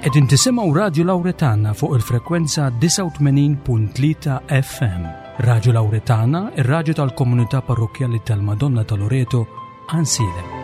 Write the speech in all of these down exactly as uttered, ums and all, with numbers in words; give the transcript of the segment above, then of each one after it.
Qegħdin tisimgħu Radju Lawretana fuq il-frekwenza disgħa u tmenin punt tlieta F M. Radju Lawretana, ir-radju tal-komunità parrokkjali tal-Madonna ta' Loreto, Għajnsielem.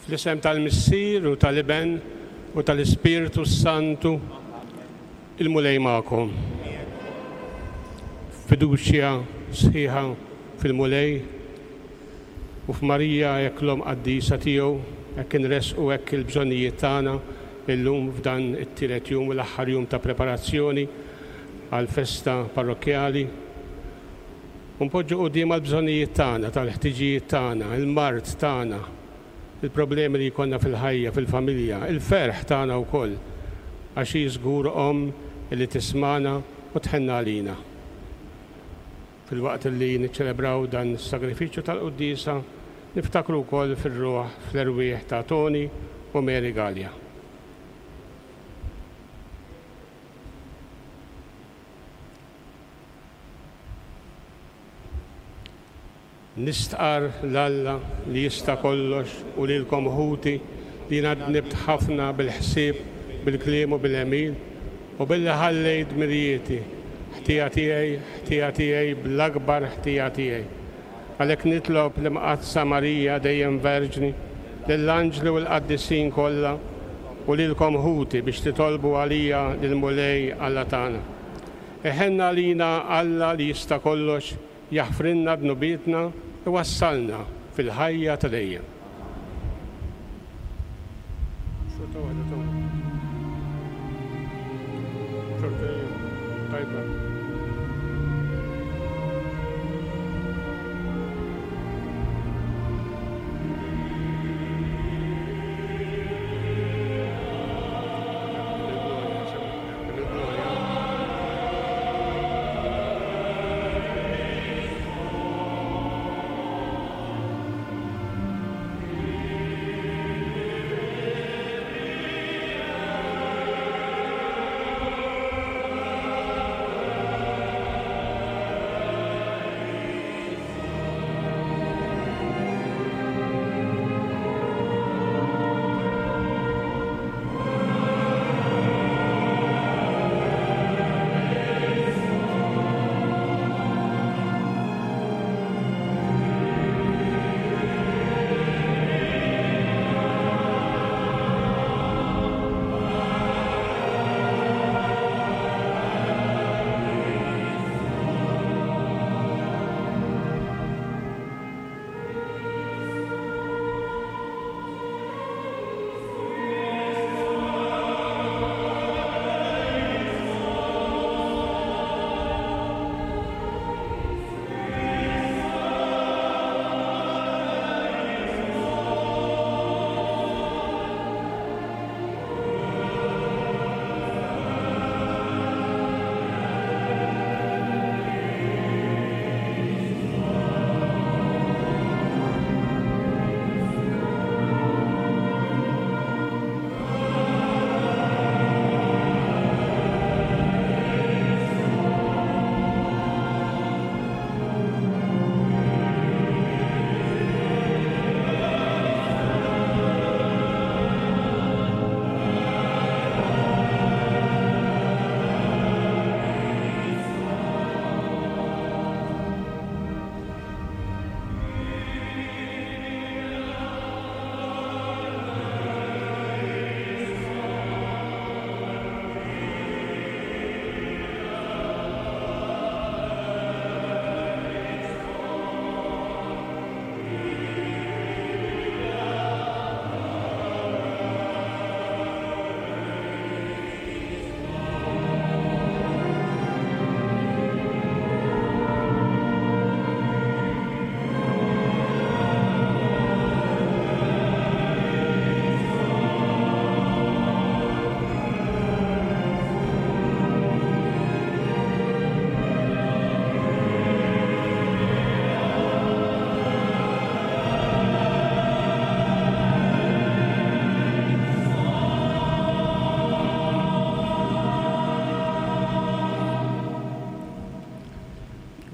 Fl-isem tal-Missier u tal-Iben u tal-Ispirtu Santu, il-Mulej magħkom. Fiduċja sħiħa fil-Mulej u f'Marija hekk l-Omm qaddisa tiegħu, hekk inresqu hekk il-bżonnijiet tagħna illum f'dan it-tielet jum u l-aħħar jum ta' preparazzjoni għall-festa parrokkjali. U npoġġu quddiem għall-bżonnijiet tagħna, tal-ħtiġijiet tagħna, il-mard tagħna, il-problemi li jkollna fil-ħajja, fil-familja, il-ferħ tagħna wkoll, għax hi żgur omm li tismana u tħenna għalina. Fil-waqt li niċċelebraw dan is-sagrifiċċju tal-quddiesa, niftakru wkoll fir-ruħ fl-erwieħ ta' Tony u Mary Galea. Nistqar l-Alla li jista' kollox u lilkom ħuti li jiena dnibt ħafna bil-ħsieb, bil-kliem u bil-għemil u billi ħallejt dmirijieti, ħtija tiegħi, ħtija tiegħi, bl-akbar ħtija tiegħi. Għalhekk nitlob l-Imqaddsa Marija dejjem Verġni, lill-anġli u l-qaddisin kollha u lilkom ħuti biex titolbu għalija lill-Mulej Alla tagħna. Iħenna għalina Alla li jista' kollox, jaħfrilna dnubietna u wassalna fil-ħajja ta' dejjem. Xorta waħda ta' xorta tajba.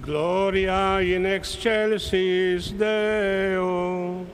Gloria in excelsis Deo.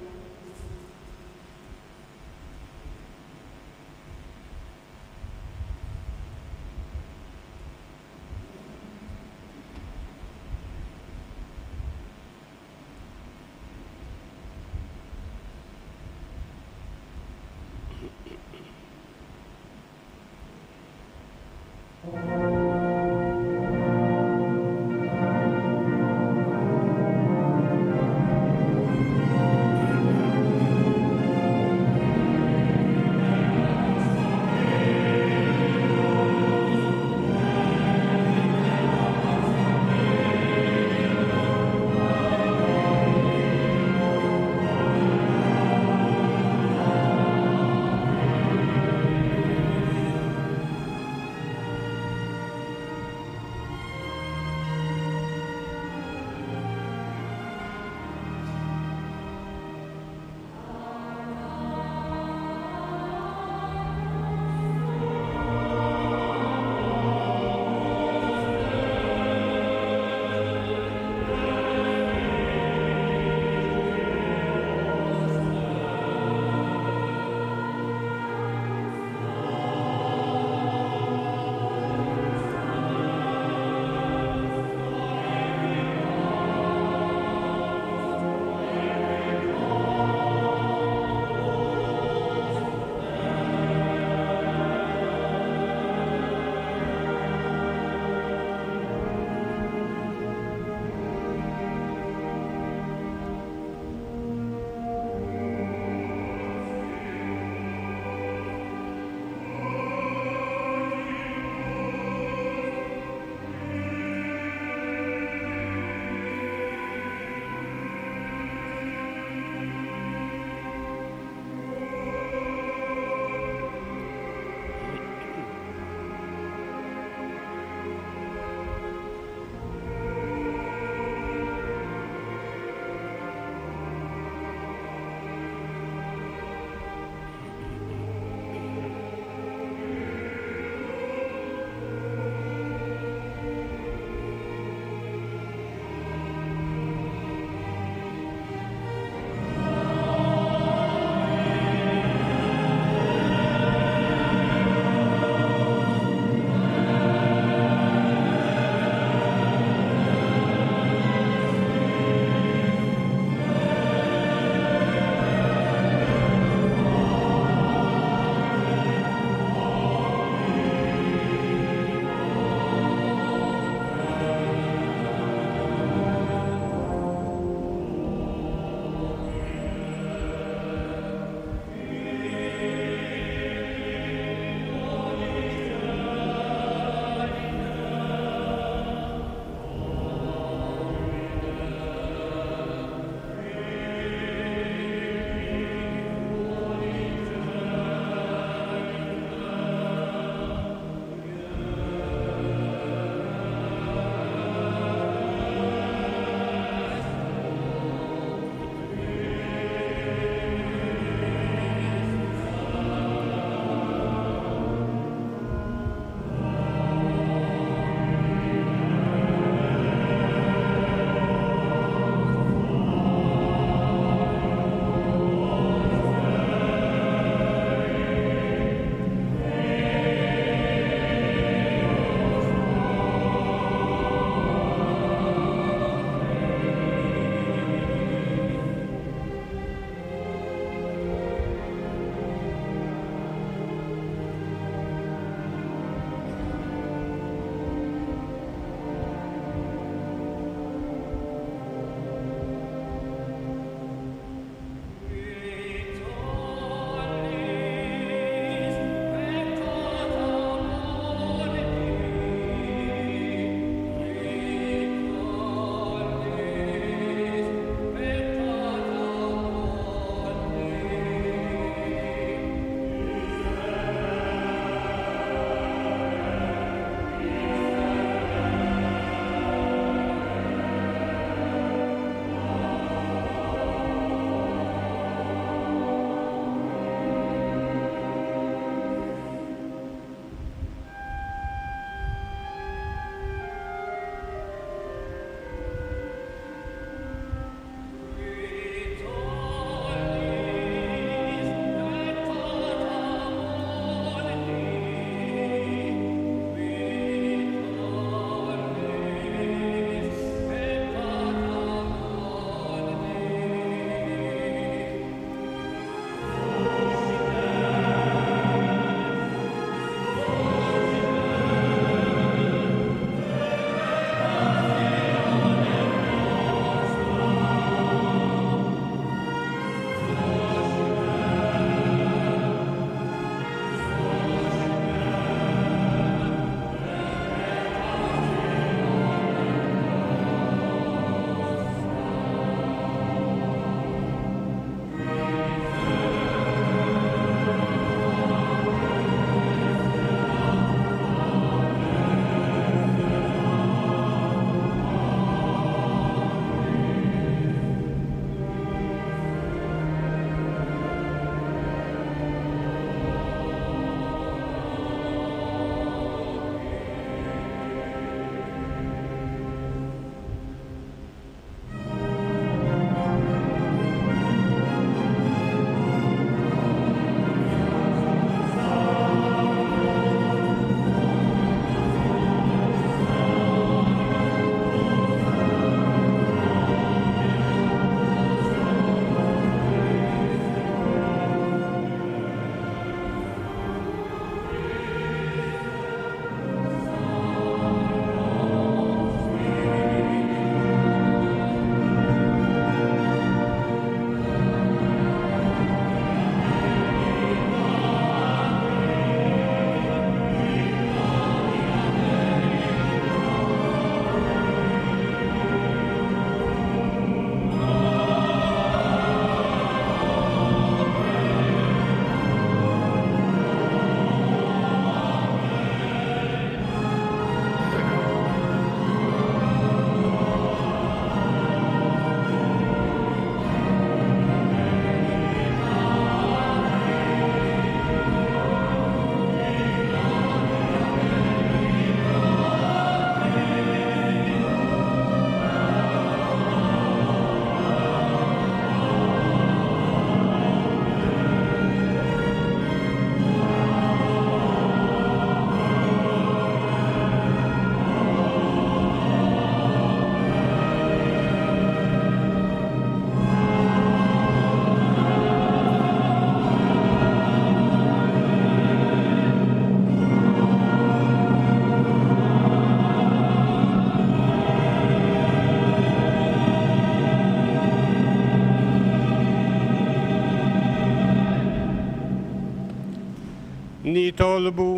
Nitolbu.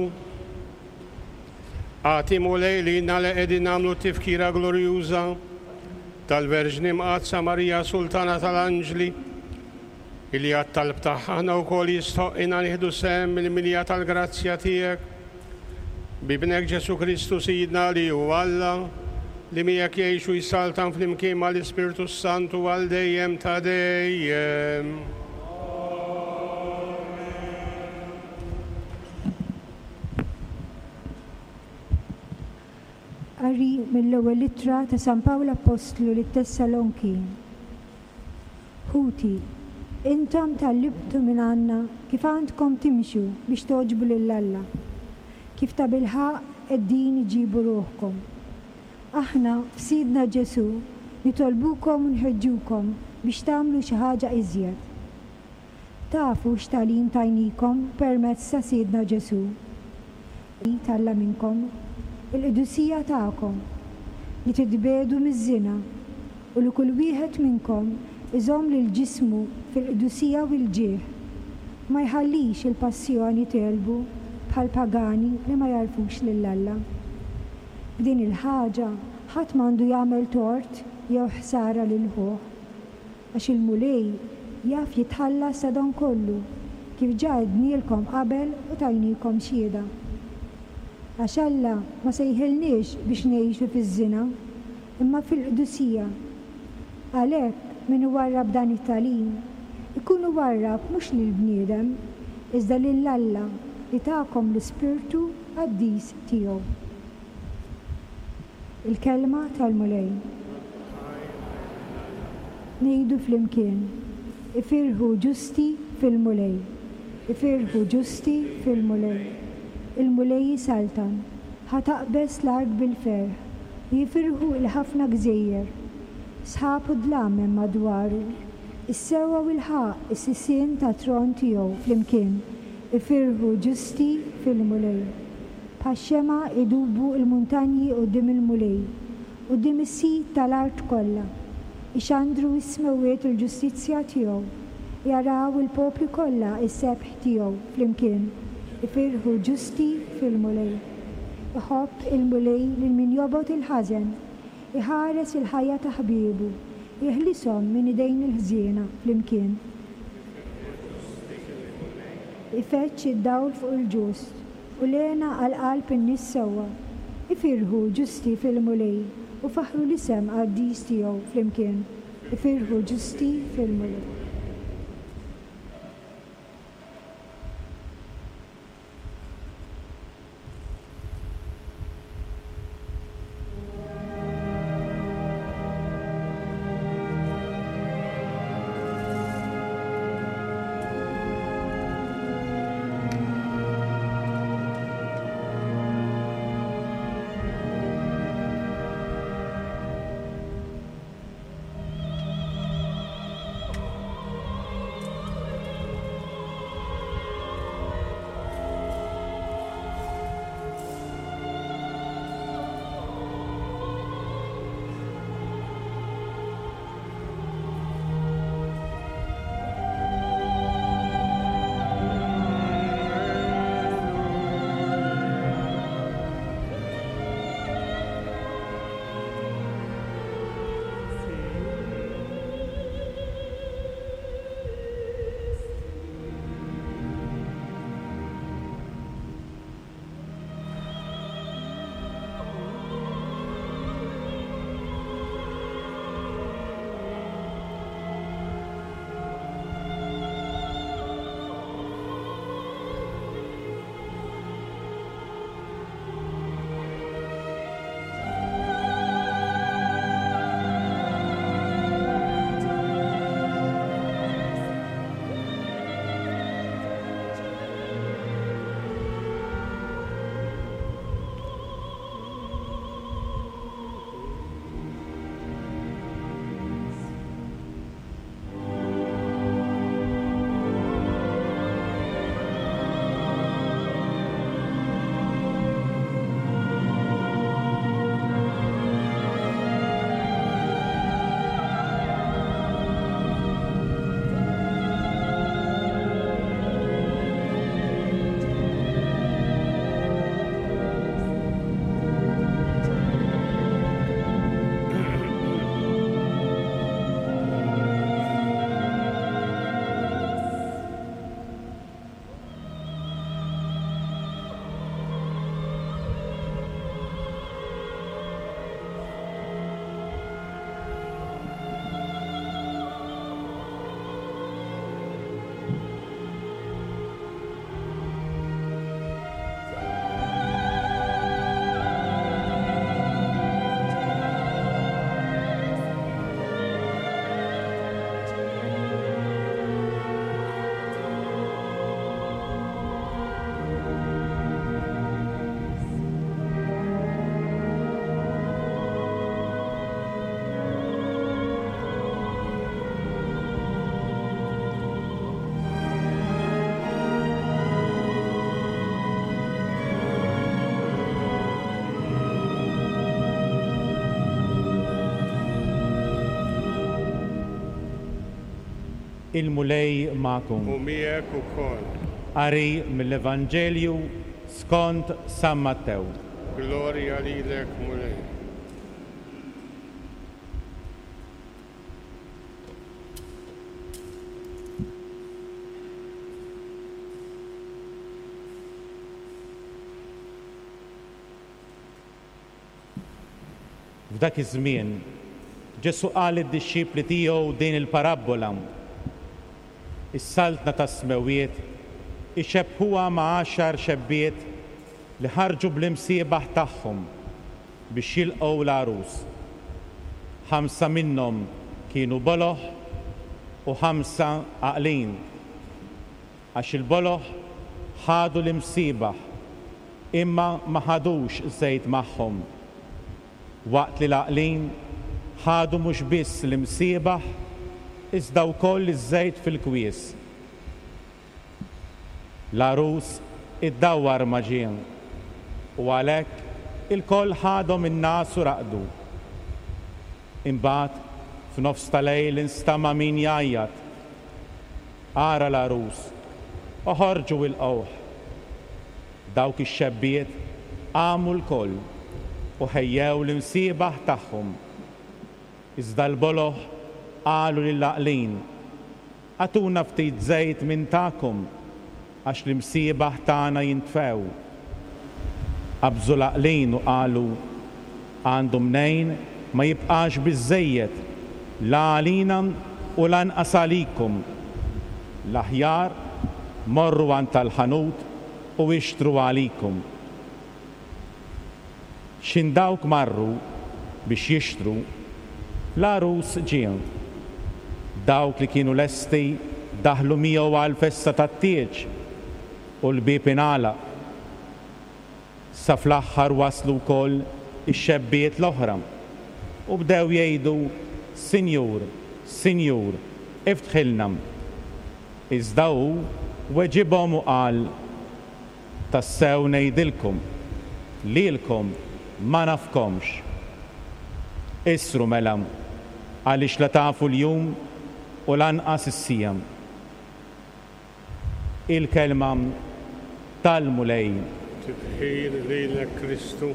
Agħti Mulej lilna li qegħdin nagħmlu tifkira glorjuża tal-Verġni Mqaddsa Marija Sultana tal-Anġli, illi għat-talb tagħha aħna wkoll jistħoqqilna nieħdu sehem mill-milja tal-grazzja tiegħek. B'Ibnek Ġesù Kristu Sidna li hu Alla, li miegħek jgħix u jsaltan flimkien mal-Ispirtu Santu għal dejjem ta' dejjem. Qari mill-ewwel ittra ta' San Pawl Appostlu lit-Tessalonki. Ħuti, intom tgħallimtu minn għandna kif għandkom timxu biex togħġbu lil Alla, kif tabilħaqq qegħdin iġibu ruħkom. Aħna f'Sidna Ġesù nitolbukom u nħeġġukom biex tagħmlu xi ħaġa iżjed. Tafu x'tagħlim tajnikom permezz ta' Sidna Ġesù. Talla minnkom il-qdusija tagħkom li titbiegħdu miż-żina u li kull wieħed minnkom iżomm lil ġismu fil-qdusija u l-ġieħ, ma jħallix il-passjoni tegħlbu bħal pagani li ma jarfux lil Alla. B'din il-ħaġa ħadd m'għandu jagħmel tort jew ħsara lil ħuh, għax il-Mulej jaf jitħallas ta' dan kollu kif ġa għednielkom qabel u tajnikom xhieda. Għax Alla ma sejħilniex biex ngħixu fiż-żina, imma fil-qdusija. Għalhekk min iwarrab dan it-tagħlim ikun iwarrab mhux lill-bniedem, iżda lil Alla li takom l-Ispirtu Qaddis tiegħu. Il-kelma tal-Mulej. Ngħidu flimkien, ifirħu ġusti fil-Mulej, ifirħu ġusti fil-Mulej. Il-Mulej jisaltan, ħa taqbeż l-art bil-ferħ, u jifirħu l-ħafna gżejjer. Sħab u dlam hemm madwaru, is-sewwa u l-ħaqq is-sisien tat-tron tiegħu flimkien, ifirħu ġusti fil-Mulej. Bħax-xemgħa idubu l-muntanji quddiem il-Mulej, quddiem is-Sid tal-art kollha. Ixandru s-smewwiet il-ġustizzja tiegħu, jaraw il-popli kollha s-sebħ tiegħu flimkien, ifirħu ġusti fil-Mulej. Iħobb il-Mulej lil min jobgħod il-ħażen, iħares il-ħajja ta' ħbiebu, jeħlishom minn idejn il-ħżiena flimkien. Ifeġġ id-dawl fuq il-ġust u l-hena għal qalb in-nies sewwa. Ifirħu ġusti fil-Mulej u faħħru l-isem qaddis tiegħu flimkien. Ifirħu ġusti fil-Mulej. Il-Mulej magħkom. U miegħek ukoll. Qari mill-Evanġelju skont San Mattew. Glorja lilek, Mulej. F'dak iż-żmien, Ġesù qal lid-dixxipli tiegħu din il-parabbola. Is-saltna tas-smewwiet ixebbħuha ma' għaxar xebbiet li ħarġu bl-imsiebaħ tagħhom biex jilqgħu l-għarus. Ħamsa minnhom kienu boloh u ħamsa għaqlin. Għax il-boloh ħadu l-imsiebaħ imma ma ħadux żejt magħhom. Waqt li l-għaqlin ħadu mhux biss l-imsiebaħ iżda wkoll iż-żejt fil-kwies. L-għarus iddawwar ma ġie u għalhekk ilkoll ħadhom in-nas u raqdu. Imbagħad f'nofs ta' lejl instama' min jgħajjat. Ara l-għarus, oħorġu ilqgħuh. Dawk ix-xebbiet qamu lkoll u ħejjew l-imsiebaħ tagħhom. Iżda l-boloh qalu lill-għaqlin, agħtuna ftit żejt minn tagħkom għax l-imsiebaħ tagħna jintfew. Qabżu l-għaqlin u qalu, għandu mnejn ma jibqax biżżejjed la għalina u lanqas għalikom. L-aħjar morru għand tal-ħanut u ixtru għalikom. X'in dawk marru biex jixtru, l-għarus ġie. Dawk li kienu lesti daħlu miegħu għall-festa tat-tieġ u l-bieb ingħalaq. Sa fl-aħħar waslu wkoll ix-xebbiet l-oħra u bdew jgħidu, Sinjur, Sinjur, iftħilna. Iżda hu weġibhom u qal, tassew ngħidilkom, lilkom ma nafkomx. Isru mela, għaliex la tafu l-jum u lanqas is-siegħa. Il-kelma tal-Mulej. Tifħir lilek Kristu.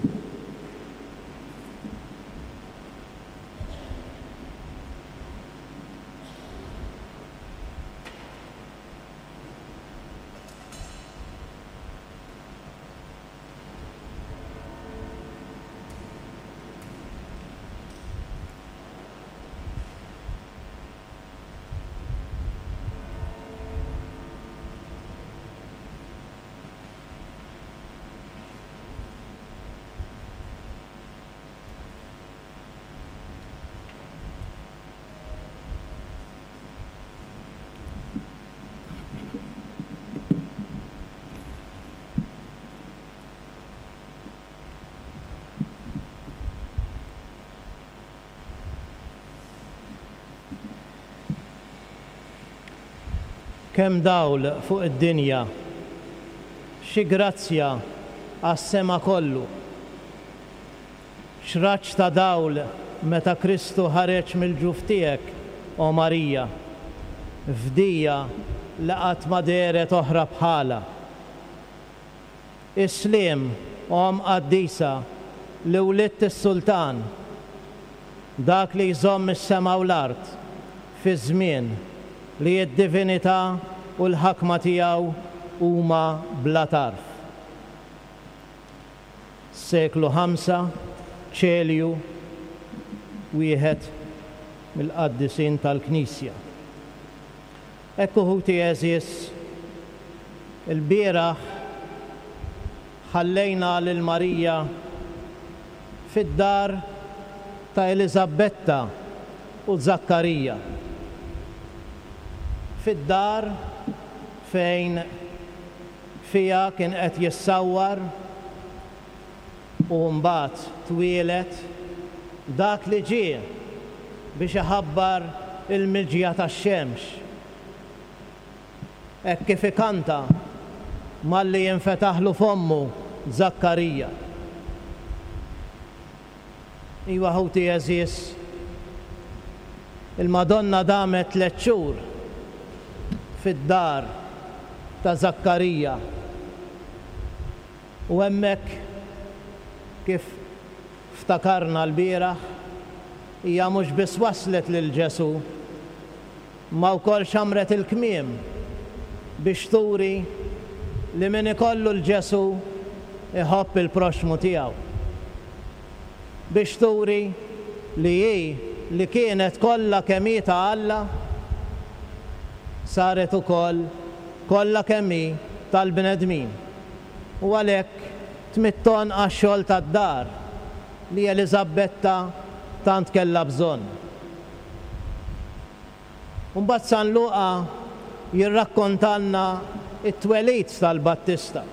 Kemm dawl fuq id-dinja, xi grazzja għas-sema kollu. X'raġġ ta' dawl meta Kristu ħareġ mill-ġuf tiegħek, o Marija, fdija li qatt ma dehret oħra bħala. Is-sliem, Omm qaddisa, li wlidt is-Sultan, dak li jżomm is-sema u l-art fi żmien li d-divinità u l-ħakma tiegħu huma bla tarf. Seklu ħamsa, Ċelju, wieħed mill-qaddisin tal-Knisja. Ekku ħuti għeżież, il-bieraħ ħallejna lil Marija fid-dar ta' Eliżabetta u Zakkarija. Fid-dar fejn fija kien qed jissawwar u mbagħad twieled dak li ġie biex iħabbar il-miġja tax-xemx. Hekk kif ikanta malli jinfetaħlu fommu Zakkarija. Iwa ħuti għeżież, il-Madonna damet tliet xhur fid-dar ta' Żakkarija. U hemmhekk, kif ftakarna l-bieraħ, hija mhux biss waslet lil Ġesù, ma wkoll xamret il-kmiem biex turi li min ikollu 'l Ġesù iħobb il-proxmu tiegħu. Biex turi li hi li kienet kollha kemm hi ta' Alla saret ukoll kollha kemm hi tal-bnedmin. U għalhekk tmidd għonqha għax-xogħol tad-dar li Eliżabetta tant kellha bżonn. Mbagħad San Luqa jirrakkontalna it-twelid tal-Battista.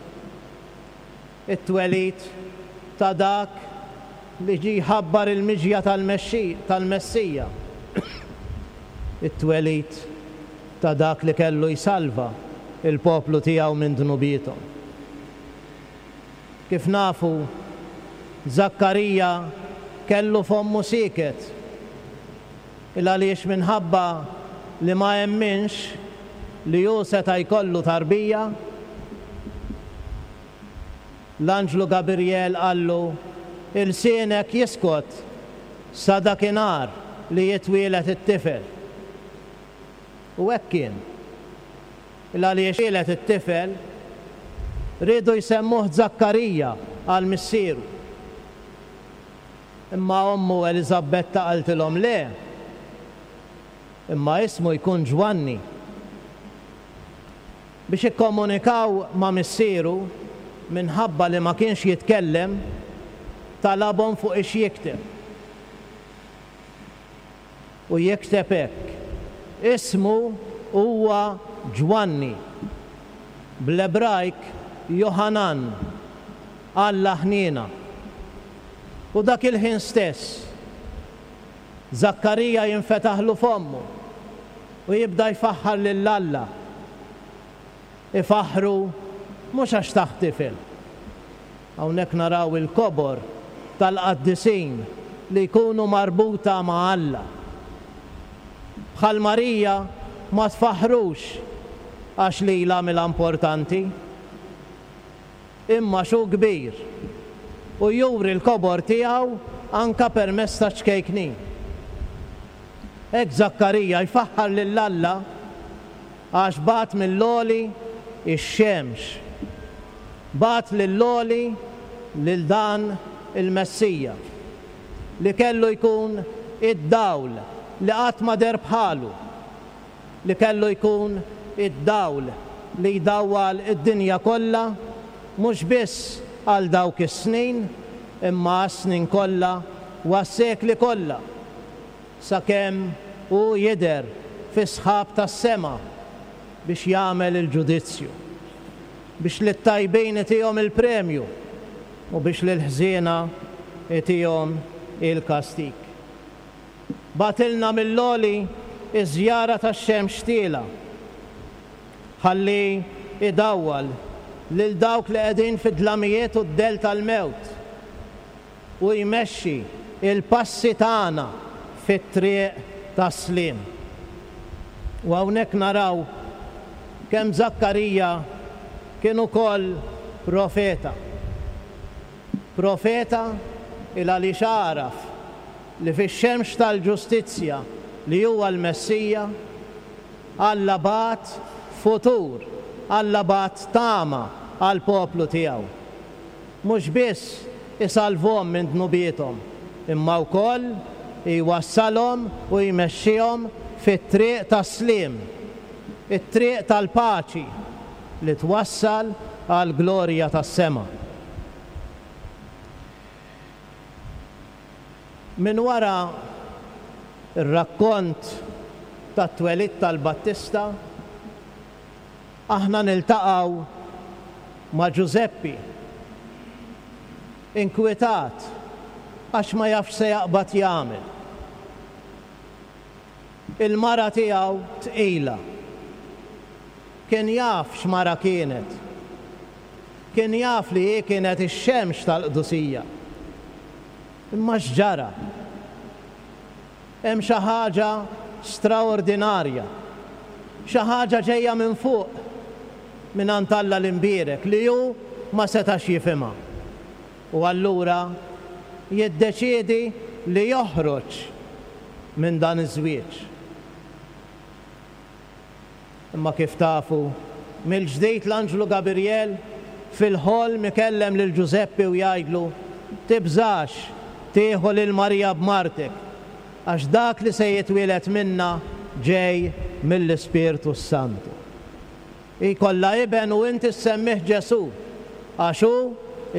It-twelid ta' dak li ġie jħabbar il-miġja tal-Messija. It-twelid ta' dak li kellu jsalva il-poplu tiegħu minn dnubiethom. Kif nafu, Żakkarija kellu fommu sieket il għaliex minħabba li ma emminx li hu seta' jkollu tarbija, l-anġlu Gabriel qallu ilsienek jiskot sa dakinhar li jitwielet it-tifel. U hekk kien. Il għaliex twieled it-tifel riedu jsemmuh Żakkarija għal missieru. Imma ommu Eliżabetta qaltilhom le. Imma ismu jkun Ġwanni. Biex ikkomunikaw ma' missieru minħabba li ma kienx jitkellem, talabhom fuq ix jikteb. U jikteb hekk. Ismu huwa Ġwanni. Bl-Ebrajk Johanan, Alla ħniena. U dak il-ħin stess, Żakkarija jinfetaħlu fommu u jibda jfaħħar lil Alla. Ifaħħru mhux għax tah tifel. Hawnhekk naraw il-kobor tal-qaddisin li jkunu marbuta ma' Alla. Bħal Marija ma tfaħħrux għax lilha għamilha importanti, imma xu kbir u juri l-kobor tiegħu anka permezz ta' ċkejknin. Hekk Żakkarija jfaħħar lil Alla għax bagħat mill-għoli ix-xemx. Bagħat lill-għoli lil dan il-Messija li kellu jkun id-dawl li qatt ma deher bħalu, li kellu jkun id-dawl li jdawwal id-dinja kollha, mhux biss għal dawk is-snin, imma għas-snin kollha u għas-sekli kollha, sakemm hu jidher fis-sħab tas-sema biex jagħmel il-ġudizzju, biex lit-tajbin itihom il-premju u biex lill-ħżiena itihom il-kastig. Bagħtilna mill-għoli iż-żjara tax-xemx tiela, ħalli idawwal lil dawk li qegħdin fid-dlamijiet u d-dell tal-mewt u jmexxi il-passi tagħna fit-triq tas-sliem. U hawnhekk naraw kemm Żakkarija kien ukoll profeta. Profeta il għaliex għaraf li fix-xemx tal-ġustizzja li huwa l-Messija, Alla bagħat futur, Alla bagħat tama għall-poplu tiegħu. Mhux biss isalvhom minn dnubiethom, imma wkoll jwassalhom u jmexxihom fit-triq tas-sliem, it-triq tal-paċi li twassal għall-glorja tas-sema. Min wara ir-rakkont tat-twelid tal-Battista, aħna niltaqgħu ma' Ġużeppi, inkwetat għax ma jafx se jaqbad jagħmel. Il-mara tiegħu tqila. Kien jaf x'mara kienet. Kien jaf li hi kienet ix-xemx tal-qdusija. Imma x'ġara? Hemm xi ħaġa straordinarja Xi ħaġa ġejja minn fuq, mingħand Alla l-Imbierek, li hu ma setax jifhimha. U allura jiddeċiedi li joħroġ minn dan iż-żwieġ. Imma kif tafu, mill-ġdid l-anġlu Gabriel fil-ħolm ikellem lil Ġużeppi u jgħidlu, tibżax tieħu lil Marija b'martek, għax dak li se jitwieled minnha ġej mill-Ispirtu s-Santu. Ikollha iben u inti ssemmih Ġesù, għax hu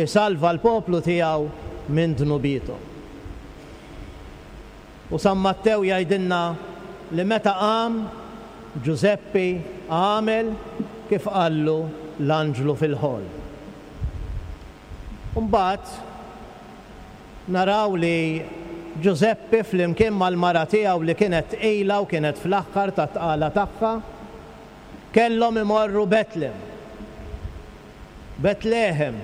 jsalva l-poplu tiegħu minn dnubietu. U San Mattew jgħidilna li meta qam Ġużeppi għamel kif qallu l-anġlu fil-ħolm. Mbagħad naraw li Ġużeppi flimkien mal-mara tiegħu li kienet tqila u kienet fl-aħħar tat-tqala tagħha, kellhom imorru Betlem. Betlehem,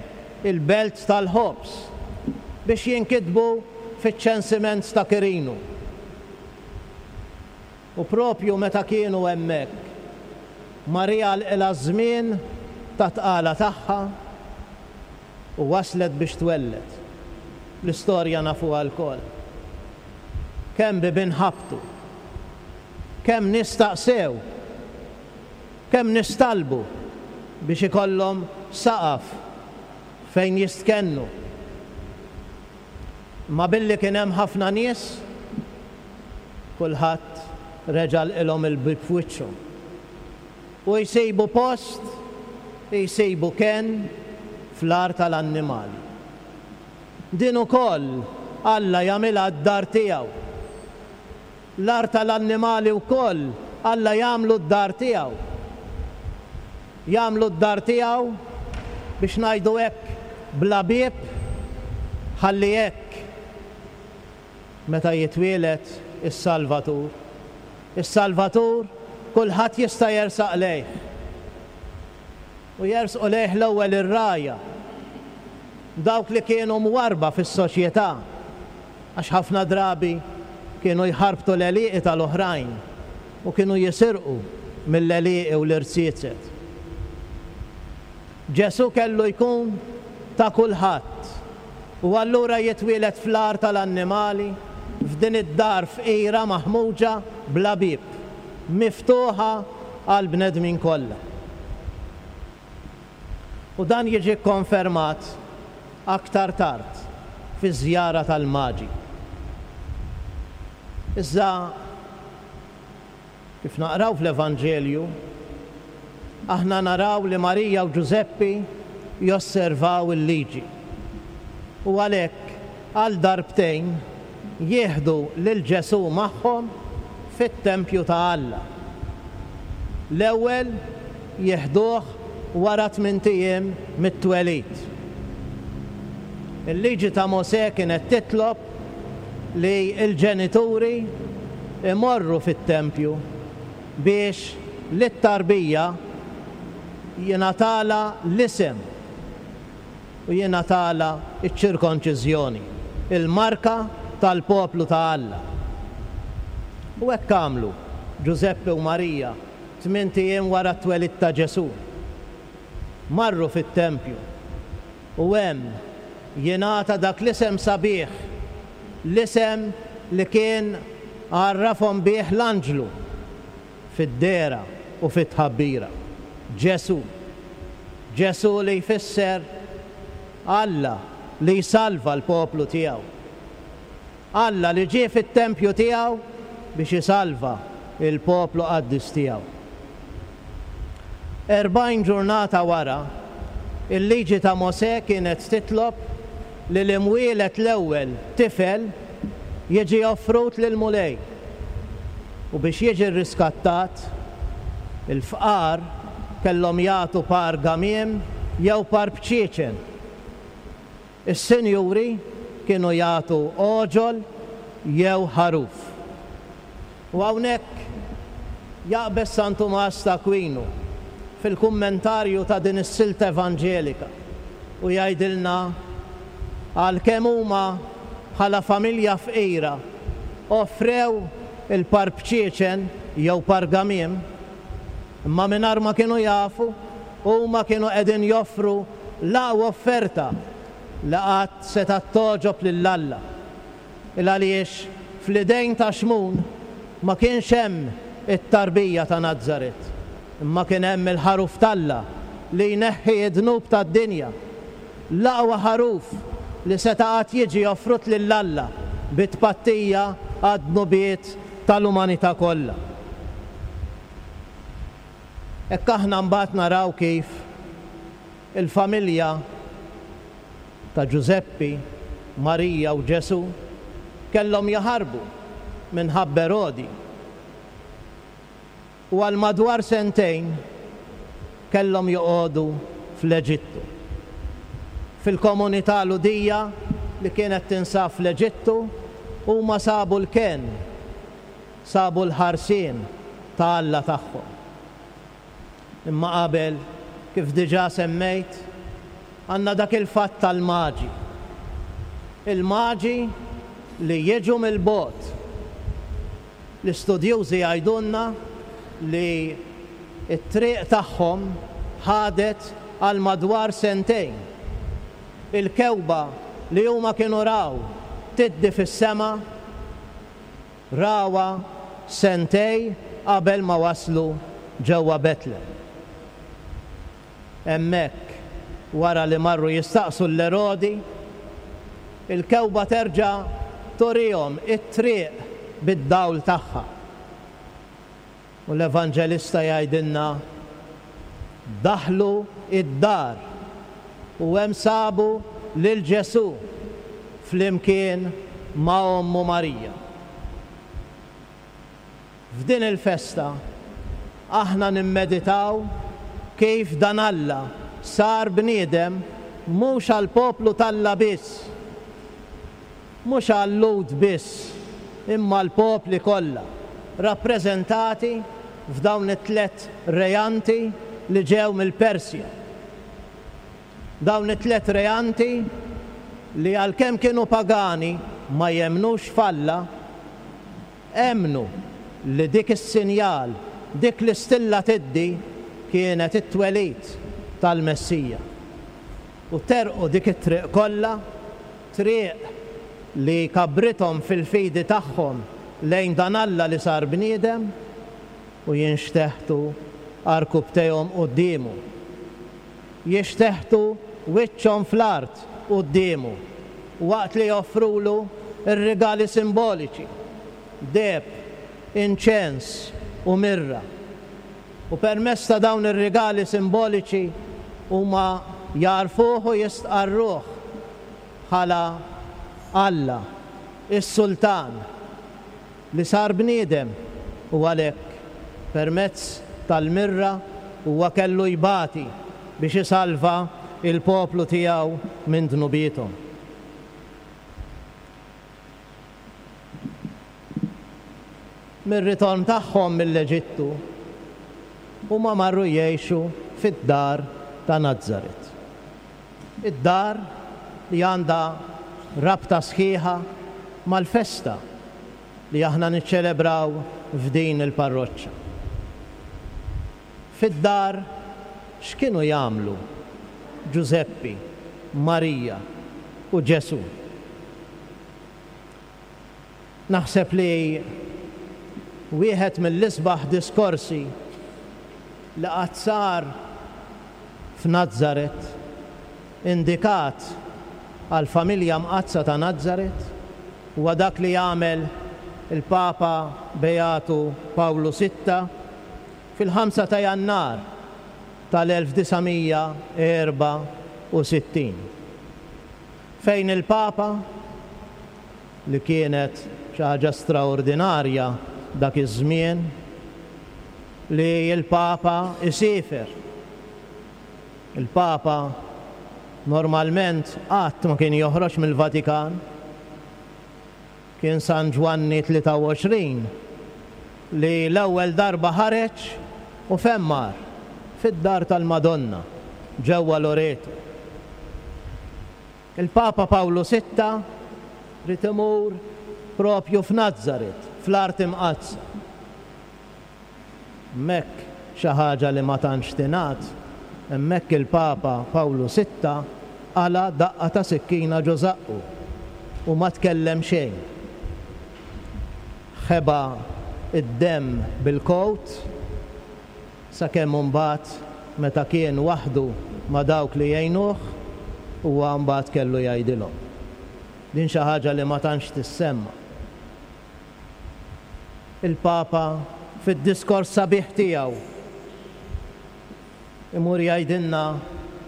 il-belt tal-ħobż, biex jinkitbu fiċ-ċensiment ta' Kirinu. U propju meta kienu hemmhekk, Marija għalqilha ż-żmien ta' tqala tagħha u waslet biex twelled. L-istorja nafuha lkoll. Kemm bibien ħabtu, kemm nistaqsew, kemm nistalbu biex ikollhom saqaf fejn jistkennu. Ma billi kien hemm ħafna nies, kulħadd reġa' ilhom il-bieb f'wiċċhom. U jsibu post, jsibu kenn fl-għar tal-annimali. Din ukoll Alla jagħmilha d-dar tiegħu. L-għar tal-annimali wkoll Alla jagħmlu d-dar tiegħu. Jagħmlu d-dar tiegħu biex ngħidu hekk bla bieb, ħalli hekk meta jitwieled is-Salvatur. Is-Salvatur kulħadd jista' jersaq lejh. U jersqu lejh l-ewwel ir-rgħajja, dawk li kienu mwarba fis-soċjetà, għax ħafna drabi kienu jħarbtu l-għelieqi tal-oħrajn u kienu jisirqu mill-għelieqi u l-irziezet. Ġesù kellu jkun ta' kulħadd u allura jitwieled fl-għar tal-annimali, f'din id-dar fqira maħmuġa bla bieb, miftuħa għal bnedmin kollha. U dan jiġi konfermat aktar tard fi żjara tal-Maġi. Iżda kif naqraw fl-Evanġelju, aħna naraw li Marija u Ġużeppi josservaw il-liġi. U għalhekk għal darbtejn jieħdu lil Ġesù magħhom fit-tempju ta' Alla. L-ewwel jieħduh wara tmint ijiem mit-twelid. Il-liġi ta' Mosè kienet titlob li l-ġenituri imorru fit-tempju biex lit-tarbija jingħatala l-isem u jingħatala ċ-ċirkonċiżjoni, il-marka tal-poplu ta' Alla. U hekk għamlu Ġużeppi u Marija tmint ijiem wara t-twelid ta' Ġesù. Marru fit-tempju u hemm jingħata dak l-isem sabiħ, l-isem li kien għarrafhom bih l-anġlu fid-dehra u fit-tħabbira. Ġesù. Ġesù li jfisser Alla li jsalva l-poplu tiegħu. Alla li ġie fit-tempju tiegħu biex isalva il-poplu qaddis tiegħu. Erbgħin ġurnata wara, il-liġi ta' Mosè kienet titlob li l-imwielet l-ewwel tifel jiġi offrut lil Mulej. U biex jiġi rriskattat, il-fqar kellhom jagħtu par gamiem jew par bċieċen. Is-sinjuri kienu jagħtu oġol jew ħaruf. U hawnhekk jaqbeż San Tumas ta' Aquino fil-kummentarju ta' din is-silta evanġelika u jgħidilna għalkemm huma bħala familja fqira offrew il-par bċieċen jew par gamiem, Imma mingħajr ma kienu jafu, huma kienu qegħdin joffru l-aqwa offerta li qatt setgħet togħġob lil Alla. Il għaliex fl-idejn ta' Xmun ma kienx hemm it-tarbija ta' Nazaret, imma kien hemm il-ħaruf t'Alla li jneħħi d-dnub tad-dinja. L-aqwa ħaruf li seta' qatt jiġi offrut lil Alla bi tpattija għad-dnubiet tal-umanità kollha. Hekk aħna mbagħad naraw kif il-familja ta' Ġużeppi, Marija u Ġesù kellhom jaħarbu minħabba Erodi. U għal madwar sentejn kellhom joqogħdu fl-Eġittu. Fil-komunità Lhudija li kienet tinsab fl-Eġittu huma sabu l-kenn, sabu l-ħarsien ta' Alla tagħhom. Imma qabel, kif diġà semmejt, għandna dak il-fatt tal-maġi. Il-maġi li jiġu mill-bogħod. L-istudjużi jgħidulna li t-triq tagħhom ħadet għal madwar sentejn. Il-kewba li huma kienu raw tiddi fis-sema rawha sentej qabel ma waslu ġewwa Betlem. Hemmhekk, wara li marru jistaqsu l-Erodi, il-kewba terġa' turihom it-triq bid-dawl tagħha. U l-Evanġelista jgħidilna daħlu id-dar u hemm sabu lil Ġesù flimkien ma' ommu Marija. F'din il-festa aħna nimmeditaw kif dan Alla sar bniedem mhux għall-poplu t'Alla biss, mhux għal-Lhud biss, imma l-popli kollha, rappreżentati f'dawn it-tliet rejanti li ġew mill-Persja. Dawn it-tliet rejanti li għalkemm kienu pagani ma jemmnux f'Alla, emmnu li dik is-sinjal, dik l-istilla tiddi kienet it-twelid tal-Messija. U terqu dik it-triq kollha, triq li kabrithom fil-fidi tagħhom lejn dan Alla li sar bniedem, u jinxteħtu għarkupptejhom quddiemu. Jixteħtu wiċċhom fl-art quddiemu waqt li joffrulu r-rigali simboliċi, deheb, inċens u mirra. U permezz ta' dawn ir-rigali simboliċi huma jarfuh u jistqarruh bħala Alla, is-Sultan, li sar bniedem, u għalhekk permezz tal-mirra huwa kellu jbati biex isalva il-poplu tiegħu minn dnubiethom. Mir-ritorn tagħhom mill-Eġittu huma marru jgħixu fid-dar ta' Nazaret. Id-dar li għandha rabta sħiħa mal-festa li aħna niċċelebraw f'din il-parroċċa. Fid-dar x'kienu jagħmlu Ġużeppi, Marija u Ġesù? Naħseb li wieħed mill-isbaħ diskorsi li qatt sar f'Nazaret, indikat għall-familja mqaddsa ta' Nazaret, huwa dak li jagħmel il-Papa Beatu Pawlu Sitta fil-ħamsa ta' Jannar tal-elf disa' mija erba' u sittin, fejn il-Papa, li kienet xi ħaġa straordinarja dak iż-żmien, li l-Papa isifer. Il-Papa normalment qatt ma kien joħroġ mill-Vatikan. Kien San Ġwanni tlieta u għoxrin li l-ewwel darba ħareġ u fejn mar? Fid-dar tal-Madonna ġewwa Loreto. Il-Papa Pawlu Sitta rid imur propju f'Nazaret, fl-art imqaddsa. Hemmhekk xi ħaġa li ma tantx tingħad, hemmhekk il-Papa Pawlu Sitta qala' daqqa ta' sikkina ġo żaqqu u ma tkellem xejn. Ħeba id-demm bil-kowt sakemm imbagħad meta kien waħdu ma' dawk li jgħinuh huwa mbagħad kellu jgħidilhom. Din xi ħaġa li ma tantx tissemma. Il-Papa fid-diskors sabiħ tiegħu imur jgħidilna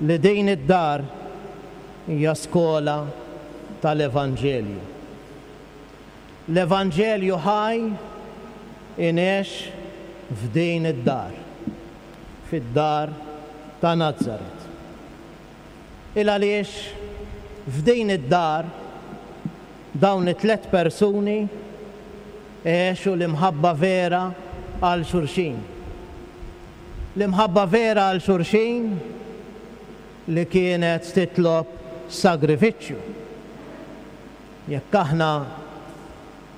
li din id-dar hija skola tal-Evanġelju. L-Evanġelju ħaj ingħex f'din id-dar, fid-dar ta' Nazaret. Il għaliex f'din id-dar dawn it-tlet persuni għexu l-imħabba vera għal xulxin. L-imħabba vera għal xulxin li kienet titlob sagrifiċċju. Jekk aħna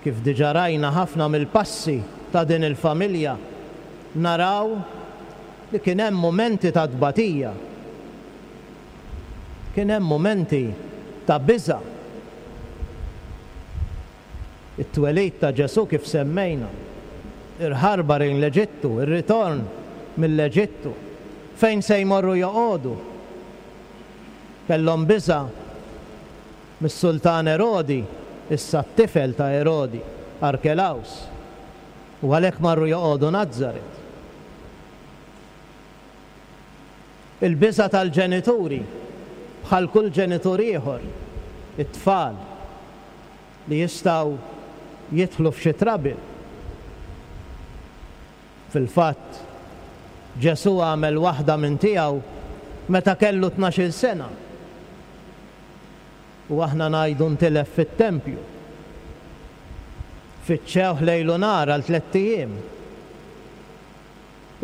kif diġà rajna ħafna mill-passi ta' din il-familja, naraw li kien hemm mumenti ta' tbatija, kien hemm mumenti ta' biża'. It-twelid ta' Ġesù kif semmejna, il-ħarba lejn l-Eġittu, ir-ritorn mill-Eġittu, fejn se jmorru joqogħdu. Kellhom biża' mis-sultan Erodi, issa t-tifel ta' Erodi, Arkelaus, u għalhekk marru joqogħdu Nazaret. Il-biża' tal-ġenituri, bħal kull ġenitur ieħor, it-tfal li jistgħu jidħlu f'xi trouble. Fil-fatt, Ġesù għamel waħda minn tiegħu meta kellu tnax-il sena. U aħna ngħidu ntilef fit-tempju. Fittxewh lejl u nhar għal tlett ijiem.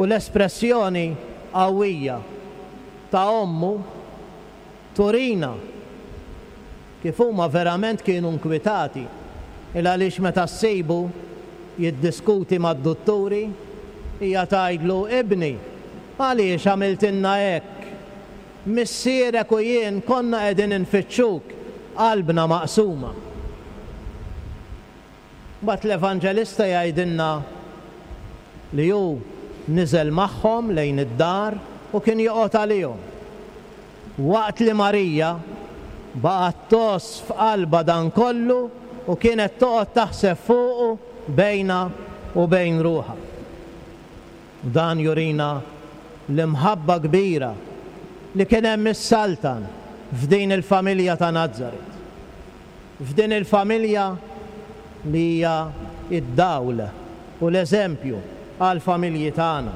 U l-espressjoni qawwija ta' ommu turina kif huma verament kienu nkwitati, il għaliex meta ssibu jiddiskuti mad-dutturi, hija tgħidlu, ibni, għaliex għamiltilna hekk? Missierek u jien konna qegħdin infittxuk, qalbna maqsuma. Mbagħad l-Evanġelista jgħidilna li hu niżel magħhom lejn id-dar u kien joqgħod għalihom. Waqt li Marija baqgħet tgħożż f'qalbha dan kollu u kienet toqgħod taħseb fuqu bejna u bejn ruħha. U dan jurina l-imħabba kbira li kien hemm is-Saltan f'din il-familja ta' Nazaret. F'din il-familja li hija id-dawl u l-eżempju għall-familji tagħna.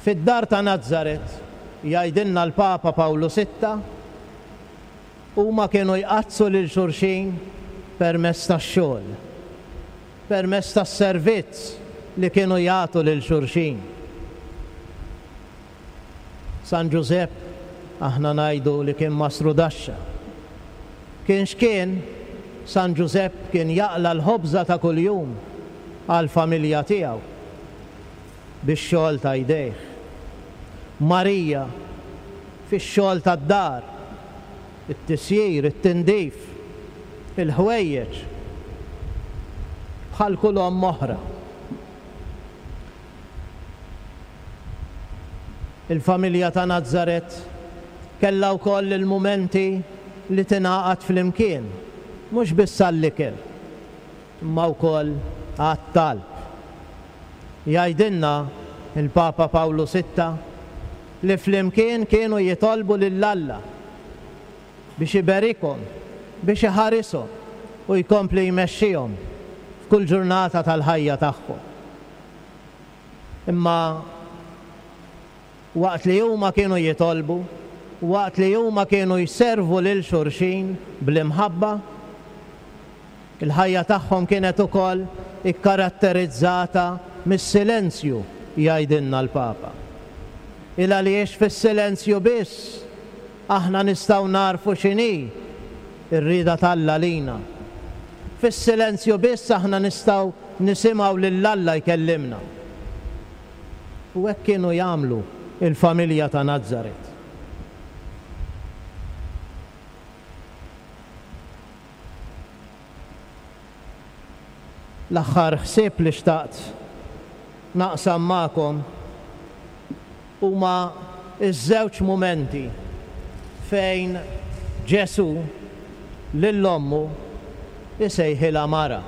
Fid-dar ta' Nazaret, jgħidilna l-Papa Pawlu Sitta, huma kienu jqaddsu lil xulxin permezz tax-xogħol, permezz tas-servizz li kienu jagħtu lil xulxin. San Ġużepp aħna ngħidu li kien mastru daxxa. Kien x'kien, San Ġużepp kien jaqla l-ħobża ta' kuljum għall-familja tiegħu bix-xogħol ta' jdejh. Marija fix-xogħol tad-dar, it-tisjir, it-tindif, il-ħwejjeġ, bħal kull omm oħra. Il-familja ta' Nazaret kellha wkoll il-mumenti li tingħaqad flimkien, mhux biss għall-ikel, imma wkoll għat-talb. Jgħidilna il-Papa Pawlu Sitta li flimkien kienu jitolbu lil Alla biex iberikhom, biex iħarishom u jkompli jmexxihom f'kull ġurnata tal-ħajja tagħhom. Imma waqt li huma kienu jitolbu, waqt li huma kienu jservu lil xulxin bl-imħabba, il-ħajja tagħhom kienet ukoll ikkaratterizzata mis-silenzju, jgħidilna l-Papa. Il għaliex fis-silenzju biss aħna nistgħu narfu x'inhi r-rieda t'Alla lina. Fis-silenzju biss aħna nistgħu nisimgħu lil Alla jkellimna. U hekk kienu jagħmlu il-familja ta' Nazaret. L-aħħar ħsieb li xtaqt naqsam magħkom huma ż-żewġ mumenti fejn Ġesù lil ommu isejħilha mara.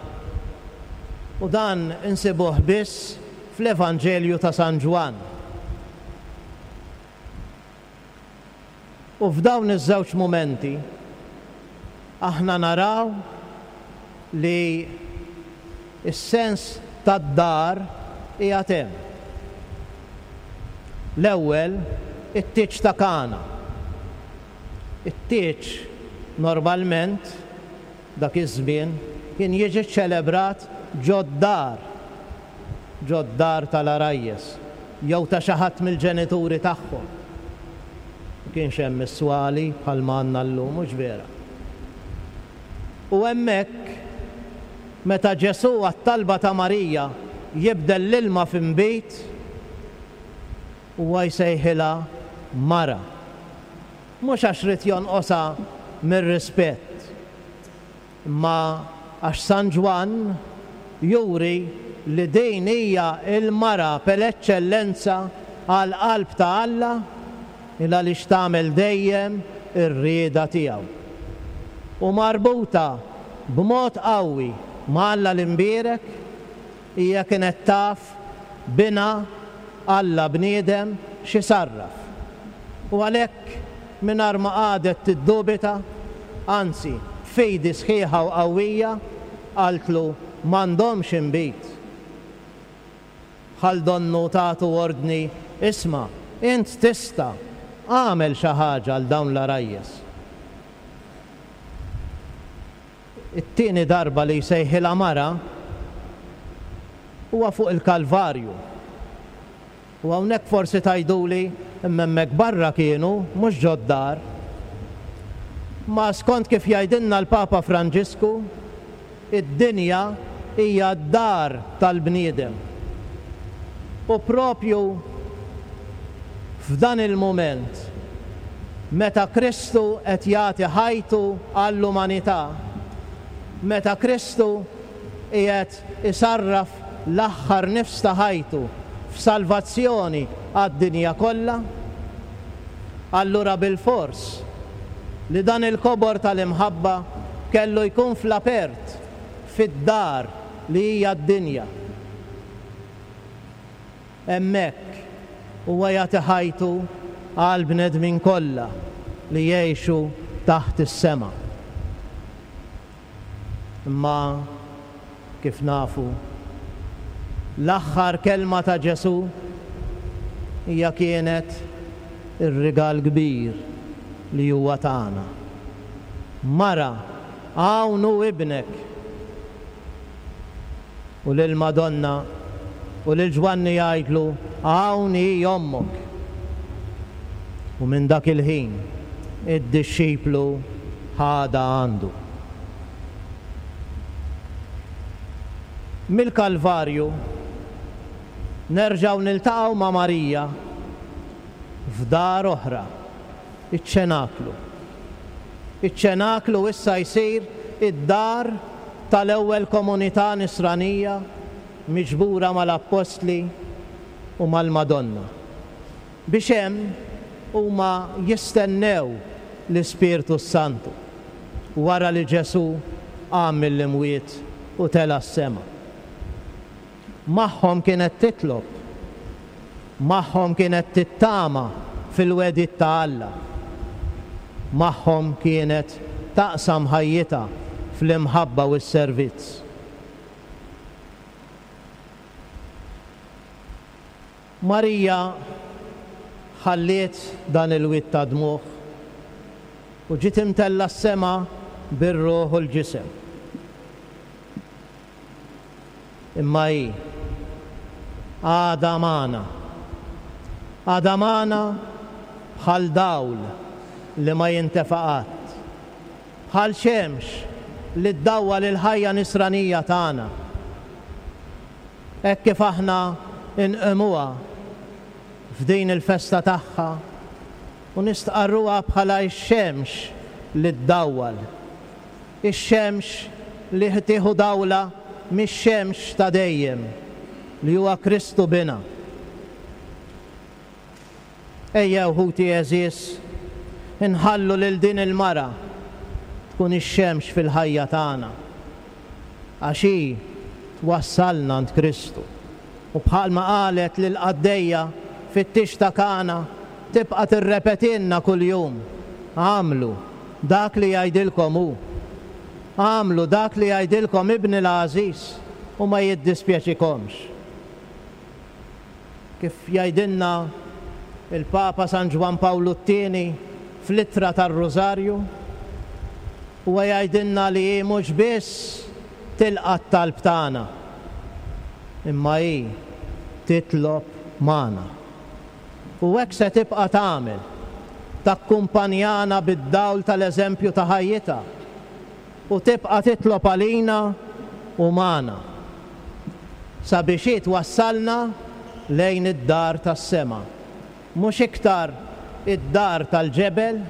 U dan insibuh biss fl-Evanġelju ta' San Ġwann. U f'dawn iż-żewġ mumenti aħna naraw li s-sens tad-dar qiegħed hemm. L-ewwel, it-tieġ ta' Kana. It-tieġ normalment dak iż-żmien kien jiġi ċelebrat ġod-dar, ġod-dar tal-għarajjes jew ta' xi ħadd mill-ġenituri tagħhom. Ma kienx hemm is-swali bħalma għandna llum, mhux vera. U hemmhekk meta Ġesù għat-talba ta' Marija jibdel l-ilma f'inbid, huwa jsejħilha mara. Mhux għax ried jonqosha mir-rispett, imma għax San Ġwann juri li din hija l-mara per eċċellenza għall-qalb ta' Alla, il għaliex tagħmel dejjem ir-rieda tiegħu. U marbuta b'mod qawwi ma' Alla l-imbierek, hija kienet taf binha Alla bniedem x'isarraf. U għalhekk mingħajr ma qagħdet tiddubita, anzi b'fidi sħiħa u qawwija, qaltlu m'għandhomx inbid. Bħal donnu tagħtu ordni, isma', int tista' għamel xi ħaġa għal dawn l-għarajjes. It-tieni darba li jsejħilha mara huwa fuq il-Kalvarju. U hawnhekk forsi tgħiduli imma hemmhekk barra kienu, mhux ġod-dar. Ma skont kif jgħidilna l-Papa Franġisku, id-dinja hija d-dar tal-bniedem. U propju f'dan il-mument, meta Kristu qed jagħti ħajtu għall-umanità, meta Kristu qiegħed isarraf l-aħħar nifs ta' ħajtu f'salvazzjoni għad-dinja kollha, allura bilfors li dan il-kobor tal-imħabba kellu jkun fl-apert, fid-dar li hija d-dinja. Hemmhekk huwa jagħti ħajtu għal bnedmin kollha li jgħixu taħt is-sema. Imma kif nafu, l-aħħar kelma ta' Ġesù hija kienet ir-rigal kbir li huwa tagħna. Mara, hawn hu ibnek. U lil Madonna u lil Ġwanni jgħidlu, hawn hi ommok. U minn dak il-ħin id-dixxiplu ħadha għandu. Mill-Kalvarju nerġgħu niltaqgħu ma' Marija f'dar oħra, iċ-ċenaklu. Iċ-ċenaklu issa jsir id-dar tal-ewwel komunità nisranija miġbura mal-Appostli u mal-Madonna, biex hemm huma jistennew l-Ispirtu Santu wara li Ġesù qam mill-imwiet u tela' s-sema. Magħhom kienet titlob, magħhom kienet tittama fil-wedid ta' Alla, magħhom kienet taqsam ħajjitha fl-imħabba u s-servizz. Marija ħalliet dan il-wied ta' dmugħ u ġiet imtella s-sema bir-ruħ u l-ġisem. Imma hi għadha magħna, għadha magħna bħal dawl li ma jintefa' qatt, bħal xemx li ddawwal il-ħajja nisranija tagħna. Hekk kif aħna nqimuha f'din il-festa tagħha u nistqarruha bħala x-xemx li ddawwal. Ix-xemx li tieħu dawla mix-xemx ta' dejjem li huwa Kristu bina. Ejjew ħuti għeżież, inħallu lil din il-mara tkun ix-xemx fil-ħajja tagħna, għax hi twassalna għand Kristu. U bħalma qalet lil qaddejja fit-tix ta' Kana, tibqa' tirrepetilna kuljum, għamlu dak li jgħidilkom hu. Għamlu dak li jgħidilkom ibni l-għażiż u ma jiddispjaċikomx. Kif jgħidilna il-Papa San Ġwann Pawlu t-tieni fl-ittra tar-Rużarju, huwa jgħidilna li hi mhux biss tilqa' t-talb tagħna, imma hi titlob magħna. U hekk se tibqa' tagħmel, takkumpanjana bid-dawl tal-eżempju ta' ħajjitha u tibqa' titlob għalina u magħna sabiex hi twassalna lejn id-dar tas-sema. Mhux iktar id-dar tal-ġebel,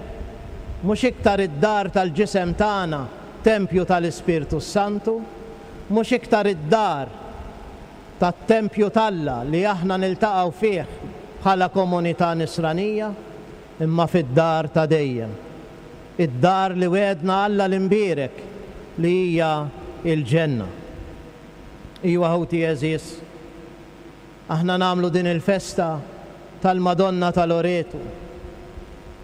mhux iktar id-dar tal-ġisem tagħna, tempju tal-Ispirtu Santu, mhux iktar id-dar tat-tempju t'Alla li aħna niltaqgħu fih bħala komunità nisranija, imma fid-dar ta' dejjem. Id-dar li wedna Alla l-imbierek li hija il-ġenna. Iwa ħuti għeżież, aħna nagħmlu din il-festa tal-Madonna ta' Loreto,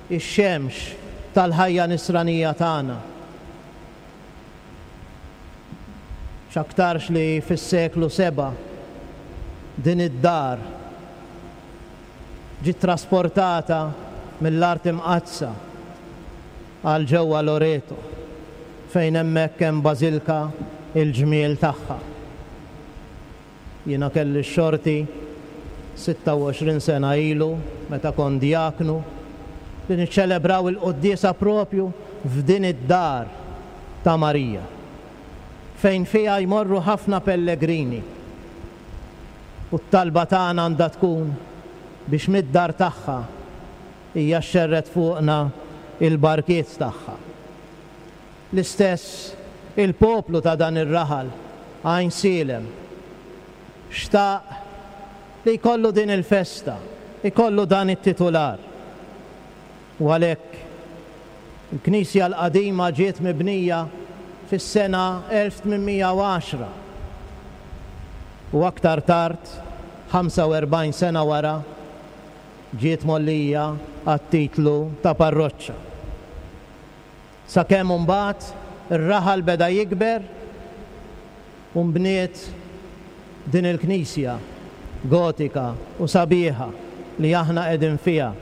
ix-xemx tal-ħajja nisranija tagħna. X'aktarx li fis-seklu seba' din id-dar ġiet trasportata mill-art imqaddsa għal ġewwa Loreto, fejn hemmhekk hemm bażilka il-ġmiel tagħha. Jiena kelli x-xorti sitta u għoxrin sena ilu, meta kont diaknu, li niċċelebraw il-quddiesa propju f'din id-dar ta' Marija, fejn fiha jmorru ħafna pellegrini. U t-talba tagħna għandha tkun biex mid-dar tagħha hija xxerred fuqna il-barkiet tagħha. L-istess il-poplu ta' dan ir-raħal Għajnsielem xtaq li jkollu din il-festa, ikollu dan it-titular. U għalhekk il-Knisja l-qadima ġiet mibnija fis-sena elf tmien mija u għaxra u aktar tard, ħamsa u erbgħin sena wara, ġiet mollija għat-titlu ta' parroċċa. Sakemm imbagħad ir-raħal beda jikber u nbniet din il-knisja gotika u sabiħa li aħna qegħdin fiha.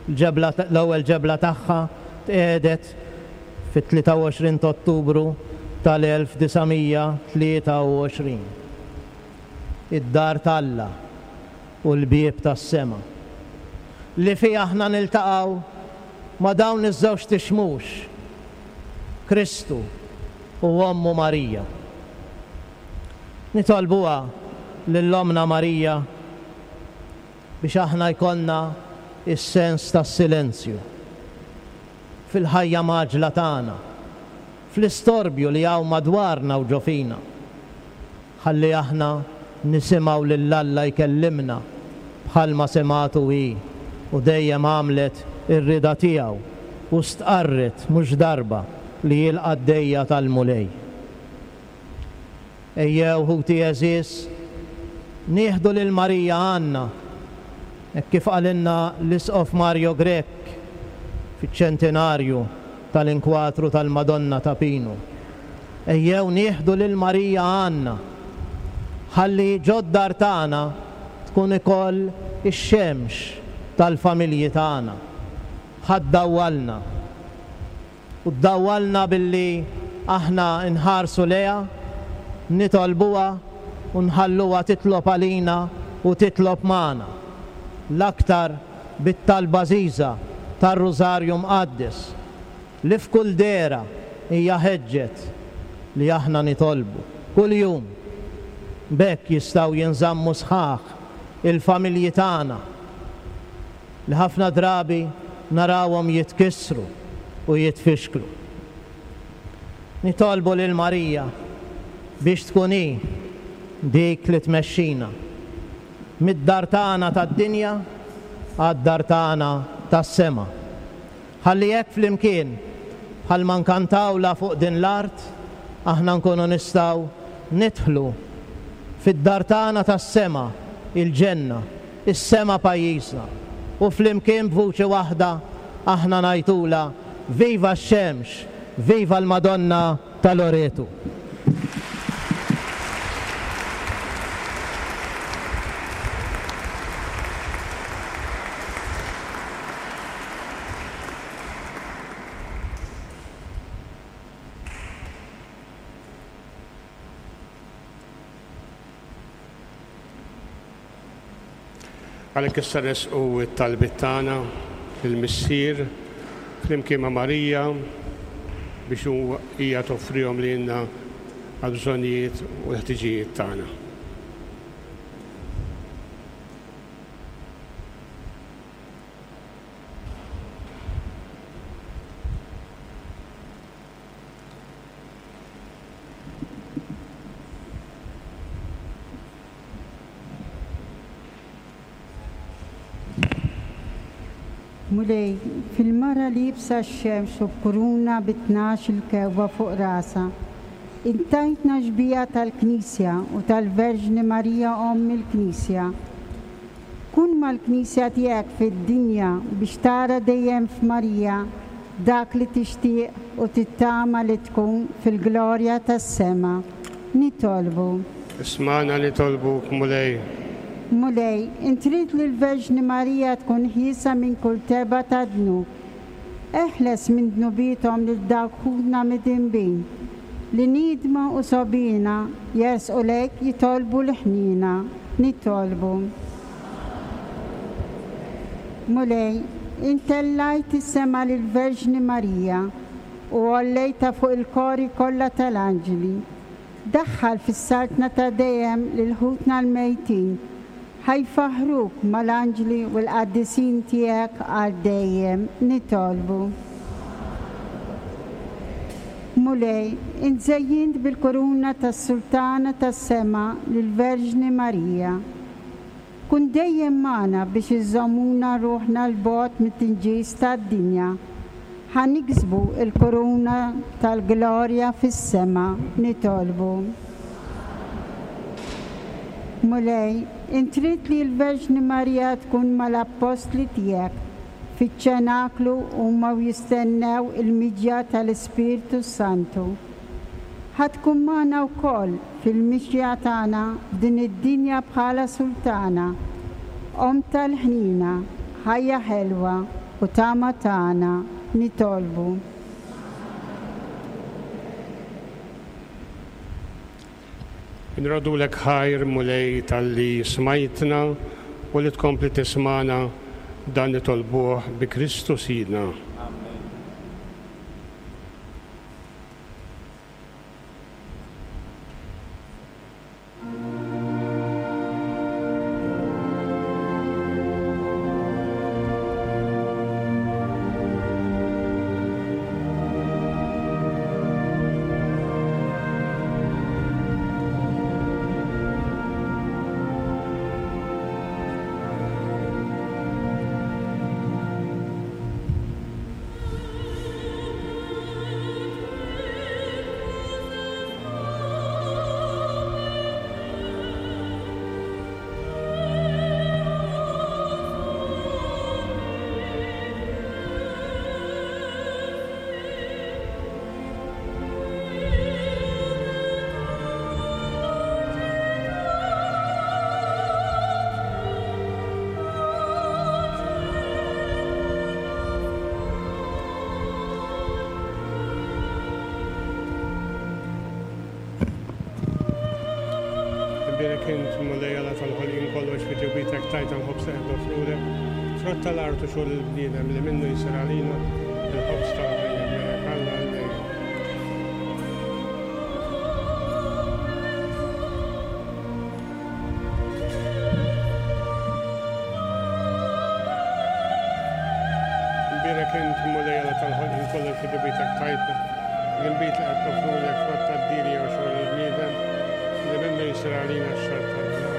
L-ġebla, l-ewwel ġebla tagħha tqiegħdet fit-tlieta u għoxrin ta' Ottubru tal-elf disa' mija tlieta u għoxrin. Id-dar t'Alla u l-bieb tas-sema li fiha aħna niltaqgħu ma' dawn iż-żewġ tixmux, Kristu u Ommu Marija. Nitolbuha lil Ommna Marija biex aħna jkollna is-sens tas-silenzju fil-ħajja maġla tagħna, fl-istorbju li hawn madwarna u ġo fina. Ħalli aħna nisimgħu lil Alla jkellimna bħalma sematu hi u dejjem għamlet ir-rida tiegħu u stqarret mhux darba li hi l-qaddejja tal-Mulej. Ejjew ħuti għeżież, nieħdu lil Marija għandna, hekk kif qalilna l-Isqof Mario Grech fiċ-ċentinarju tal-inkwatru tal-Madonna ta' Pinu. Ejjew nieħdu lil Marija għandna, ħalli ġod-dar tagħna tkun ikoll ix-xemx tal-familji tagħna. Ħaddawwalna. U ddawwalna billi aħna nħarsu lejha, nitolbuha u nħalluha titlob għalina u titlob magħna. L-aktar bit-talba għażiża tar-Rużarju Mqaddes li f'kull dehra hija ħeġġet li aħna nitolbu kuljum. B'hekk jistgħu jinżammu sħaħ il-familji tagħna li ħafna drabi narawhom jitkissru u jitfixklu. Nitolbu lil Marija biex tkun hi dik li tmexxina mid-dar tagħna tad-dinja għad-dar tagħna tas-sema. Ħalli hekk flimkien bħalma nkantawla fuq din l-art, aħna nkunu nistgħu nidħlu fid-dar tagħna tas-sema, il-ġenna, is-sema pajjiżna. U flimkien b'vuċi waħda aħna ngħidulha viva x-xemx, viva l-Madonna ta' Loreto. Għalhekk issa resqu t-talbiet tagħna lill-Missier flimkien ma' Marija biex hija toffrihom lilna għall-bżonnijiet u l-ħtiġijiet tagħna. Mulej, fil-mara liebsa x-xemx u b'kuruna bi tnax il-kewba fuq rasha, intajtna xbieha tal-Knisja u tal-Verġni Marija Omm il-Knisja. Kun mal-Knisja tiegħek fid-dinja biex tara dejjem f'Marija dak li tixtieq u tittama li tkun fil-glorja tas-sema. Nitolbu. Ismagħna nitolbuk, Mulej. Mulej, intrid li l-Verġni Marija tkun ħiesa minn kull teba ta' dnub. Eħles minn dnubithom lil dawk ħutna midinbin, li nidma u sobina jersqu lejk jitolbu l-ħniena. Nitolbu. Mulej, intellajt is-sema lill-Verġni Marija u għollejtha fuq il-kori kollha tal-anġli. Daħħal fis-saltna ta' dejjem lil ħutna l-mejtin, ħajfaħruk mal-anġli u l-qaddisin tiegħek għal dejjem. Nitolbu. Mulej, inżejjint bil-kuruna tas-Sultana tas-Sema lill-Verġni Marija. Kun dejjem magħna biex iżommuna ruħna 'l bogħod mit-tinġis tad-dinja. Ħa niksbu l-kuruna tal-glorja fis-sema. Nitolbu. Mulej, intrid li l-Verġni Marija tkun mal-appostli tiegħek fiċ-ċenaklu huma u jistennew il-miġja tal-Ispirtu Santu. Ħa tkun magħna wkoll fil-mixja tagħna f'din id-dinja bħala sultana, Omm tal-ħnina, ħajja ħelwa u tama tagħna. Nitolbu. Nrodulek ħajr, Mulej, talli smajtna u li tkompli tismana, dan nitolbuh bi Kristu Sidna. Imbierek int, Mulej Alla tal-ħolqien kollox fi ġewwitek tajt il-ħobż li qed noffrulek, frott tal-art u xogħol il-bniedem li minnu jsir għalina il-ħobż tal-ħajja. Imbierek Alla għal dejjem. L-inbid li qed noffrulek frott tad-dielja u xogħol il-bniedem li minnu jsir għalina x-xorb tal-ħajja.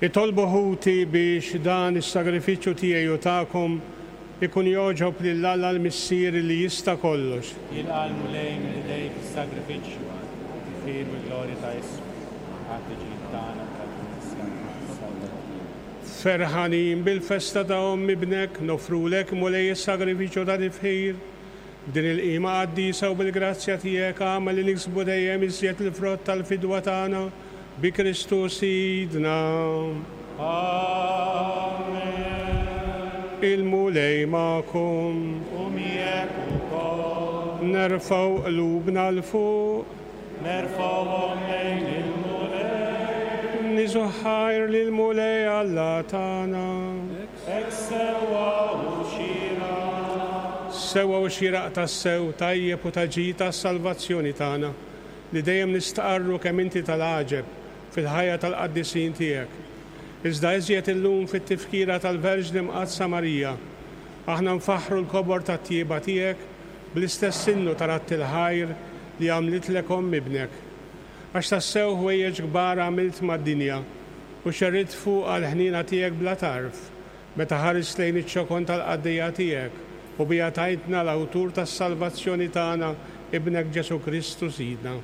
Itolbu ħuti biex dan is-sagrifiċċju tiegħi u tagħkom ikun jogħġob lil Alla l-Missier li jista' kollox. Jilqa' l-Mulej minn idejk is-sagrifiċċju għat-tifħir u l-glorja ta' ismu, għat-tiġid tagħna tal-Knisja. Ferħanin bil-festa ta' Omm Ibnek, nofrulek Mulej is-sagrifiċċju ta' tifħir. B'din il-qima qaddisa u bil-grazzja tiegħek agħmel li niksbu dejjem iżjed il-frott tal-fidwa tagħna bi Kristu Sidna. Amen. Il-Mulej magħkom. U miegħek ukoll. Nerfgħu qlubna 'l fuq. Nerfgħuhom lejn il-Mulej. Niżu ħajr lill-Mulej Alla tagħna. Hekk sewwa u xieraq. Sewwa u xieraq tassew, tajjeb u ta' ġid tas-salvazzjoni tagħna, li dejjem nistqarru kemm inti tal-għaġeb fil-ħajja tal-qaddisin tiegħek. Iżda iżjed illum fit-tifkira tal-Verġni Mqaddsa Marija, aħna nfaħħru l-kobor tat-tjieba tiegħek bl-istess innu ta' radd il-ħajr li għamlitlek omm ibnek. Għax tassew ħwejjeġ kbar għamilt mad-dinja u xerridt fuqha l-ħniena tiegħek bla tarf, meta ħarist lejn iċ-ċokon tal-qaddejja tiegħek u bija tajtna l-awtur tas-salvazzjoni tagħna, ibnek Ġesu Kristu Sidna.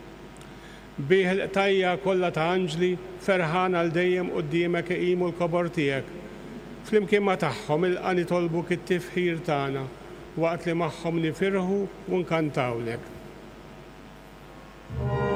Bih il-qtajja kollha ta' anġli ferħan għal dejjem quddiemek iqimu l-kobor tiegħek. Flimkien ma' tagħhom ilqa' nitolbuk it-tifħir tagħna waqt li magħhom nifirħu u nkantawlek. Amen.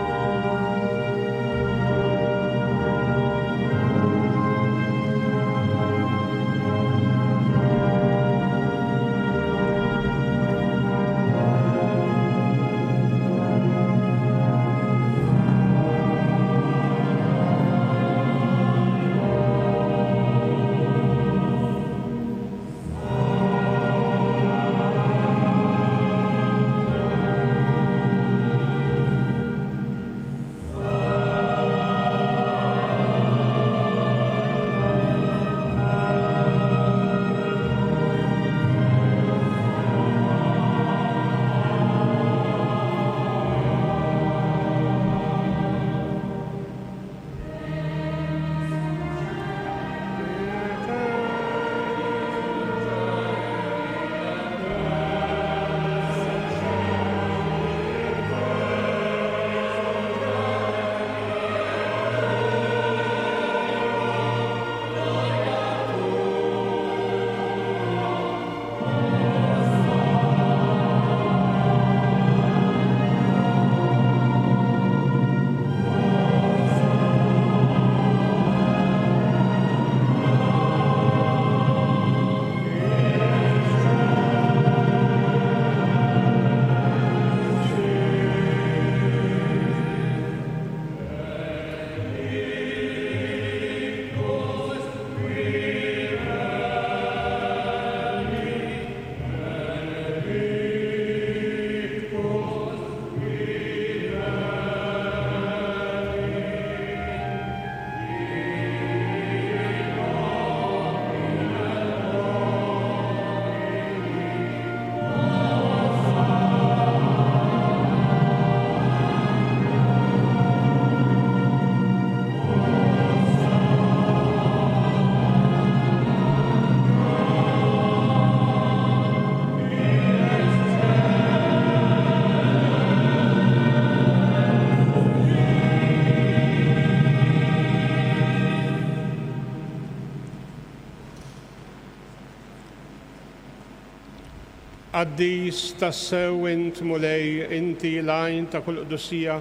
Qaddis tassew int Mulej, inti l-għajn ta' kull qdusija,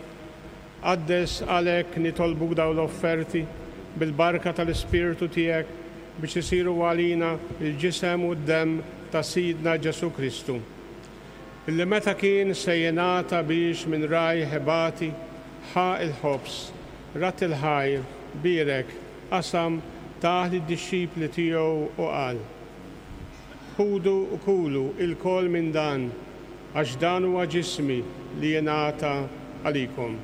qaddes għalhekk nitolbuk dawn l-offerti bil-barka tal-Ispirtu tiegħek biex isiru għalina il-ġisem u d-demm ta' Sidna Ġesu Kristu. Illi meta kien se jingħata biex minn rajh ibati, ħa il-ħobż, rat il-ħajr, bierek, qasam, tah lid-dixxipli tiegħu u qal: Ħudu u kulu ilkoll minn dan, għax dan huwa ġismi li jingħata għalikom.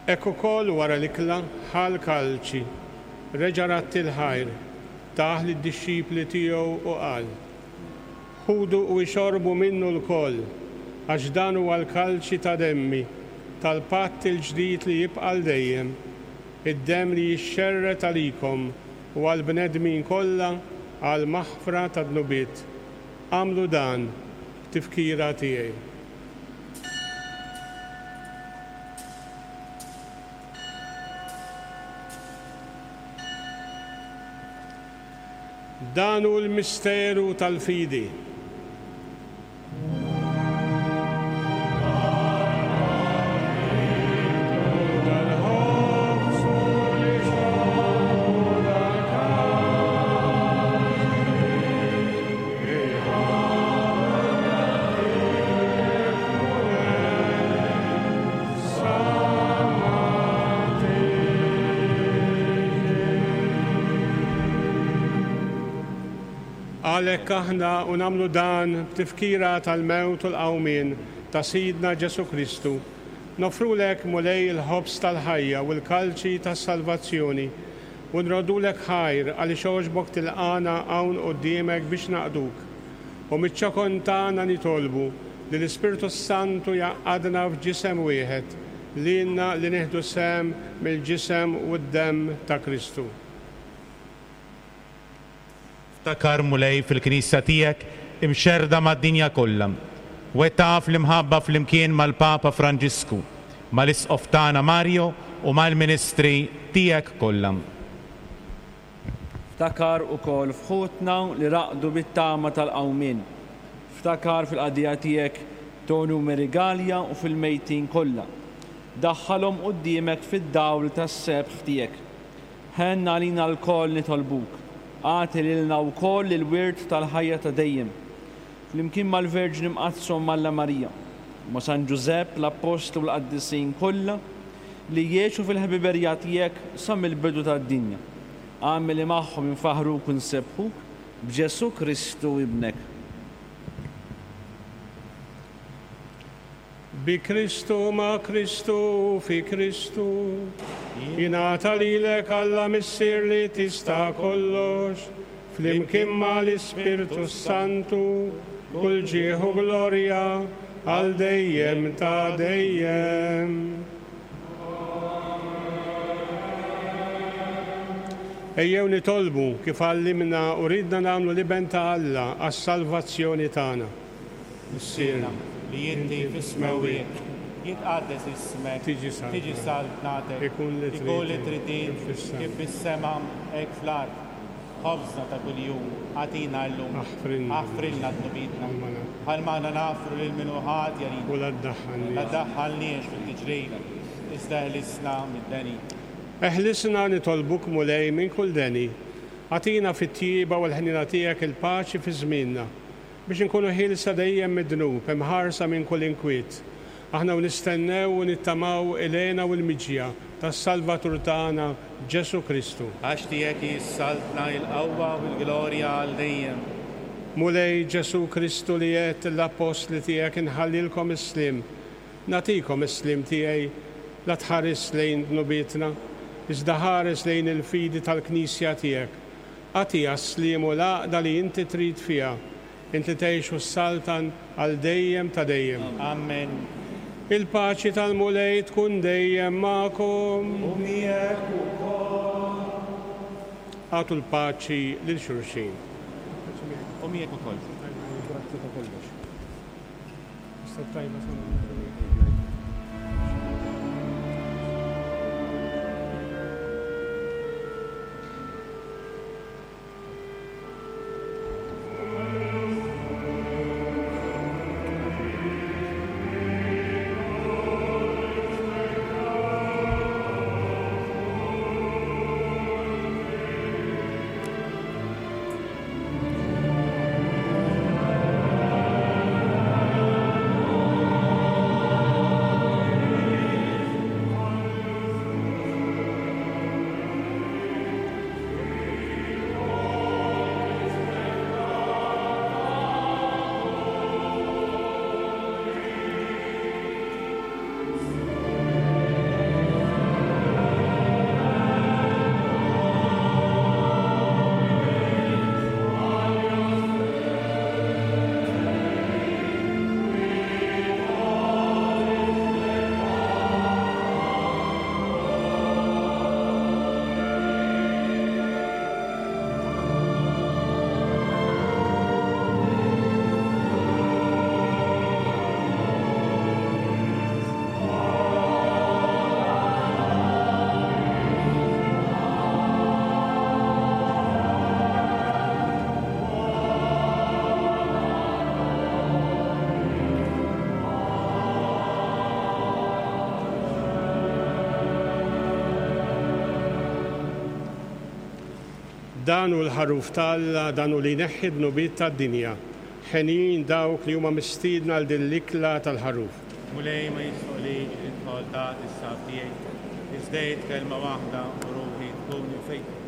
Hekk ukoll wara l-ikla ħa l-kalċi, reġa' ratt il-ħajr, tah lid-dixxipli tiegħu u qal: Ħudu u ixorbu minnu lkoll, għax dan huwa l-kalċi ta' demmi, tal-patt il-ġdid li jibqa' għal dejjem, id-demm li jixxerred għalikom u għall-bnedmin kollha għal maħfra ta' dnubiet. Agħmlu dan b'tifkira tiegħi. Dan hu l-misteru tal-fidi. Għalhekk aħna u nagħmlu dan b'tifkira tal-mewt u l-qawmien ta' Sidna Ġesu Kristu, nofrulek Mulej il-ħobż tal-ħajja u l-kalċi tas-salvazzjoni u nroddulek ħajr għaliex għoġbok tilqana hawn quddiemek biex naqduk. U miċ-ċokon tagħna nitolbu li l-Ispirtu Santu jgħaqqadna f'ġisem wieħed lilna li nieħdu sehem mill-ġisem u d-demm ta' Kristu. Ftakar Mulej fil-Knisja tiegħek imxerrda mad-dinja kollha. Wettaq fl-imħabba flimkien mal-Papa Franġisku, mal-Isqof tagħna Mario u mal-Ministri tiegħek kollha. Ftakar ukoll f'ħutna li raqdu bit-tama tal-qawmien. Ftakar fil-qadija tiegħek Tonu Merigalja u fil-mejtin kollha. Daħħalhom quddiemek fid-dawl tas-sebħ tiegħek. Ħenna għalina lkoll nitolbuk. Agħti lilna wkoll il-wirt tal-ħajja ta' dejjem. Flimkien mal-Verġni Mqaddsa Alla Marija, ma' San Ġużepp, l-Appostlu u l-Qaddisin kollha li jgħixu fil-ħbiberija tiegħek sa mill-bidu tad-dinja. Agħmel li magħhom infaħruk u nsebbħuk b'Ġesu Kristu ibnek. Bi Kristu, ma' Kristu, fi Kristu, jingħata lilek Alla Missier li tista' kollox, flimkien mal-Ispirtu Santu, kull ġieħ u glorja għal dejjem ta' dejjem. Ejjew nitolbu kif għallimna u ridna nagħmlu l-Iben ta' Alla għas-salvazzjoni tagħna. Missierna li inti fis-smewwiet, jitqaddes ismek, tiġi saltnatek, ikun li trid int kif fis-sema hekk fl-art. Ħobżna ta' kuljum agħtina llum, aħfrilna dnubietna bħalma aħna nagħfru lil min hu ħati għalina, u la ddaħħalniex fit-tiġrib, iżda eħlisna mid-deni. Eħlisna nitolbuk Mulej minn kull deni, agħtina fit-tjieba u l-ħniena tiegħek il-paċi fi żmienna, biex inkunu ħielsa dejjem mid-dnub, imħarsa minn kull inkwiet. Aħna u nistennew u nittamaw il-hena u l-miġja tas-Salvatur tagħna Ġesu Kristu. Għax tiegħek hi s-saltna, il-qawwa u l-glorja għal dejjem. Mulej Ġesu Kristu li għedt l-appostli tiegħek inħallilkom is-sliem, nagħtikom is-sliem tiegħi, la tħares lejn dnubietna, iżda ħares lejn il-fidi tal-Knisja tiegħek. Agħtiha s-sliem u l-għaqda li inti trid fiha, inti tgħix u s-saltan għal dejjem ta' dejjem. Amen. Il-paċi tal-Mulej tkun dejjem magħkom. U miegħek ukoll. Agħtu l-paċi lil xulxin. U miegħek ukoll. Grazzi ta' kollox. Tajba. Dan hu l-ħaruf t'Alla, dan hu li jneħħi d-dnubiet tad-dinja. Ħenjin dawk li huma mistiedna għal din l-ikla tal-ħaruf. Mulej, ma jistħoqlix li tidħol taħt is-saqaf tiegħi, iżda għid kelma waħda u ruħi tkun imfejqa.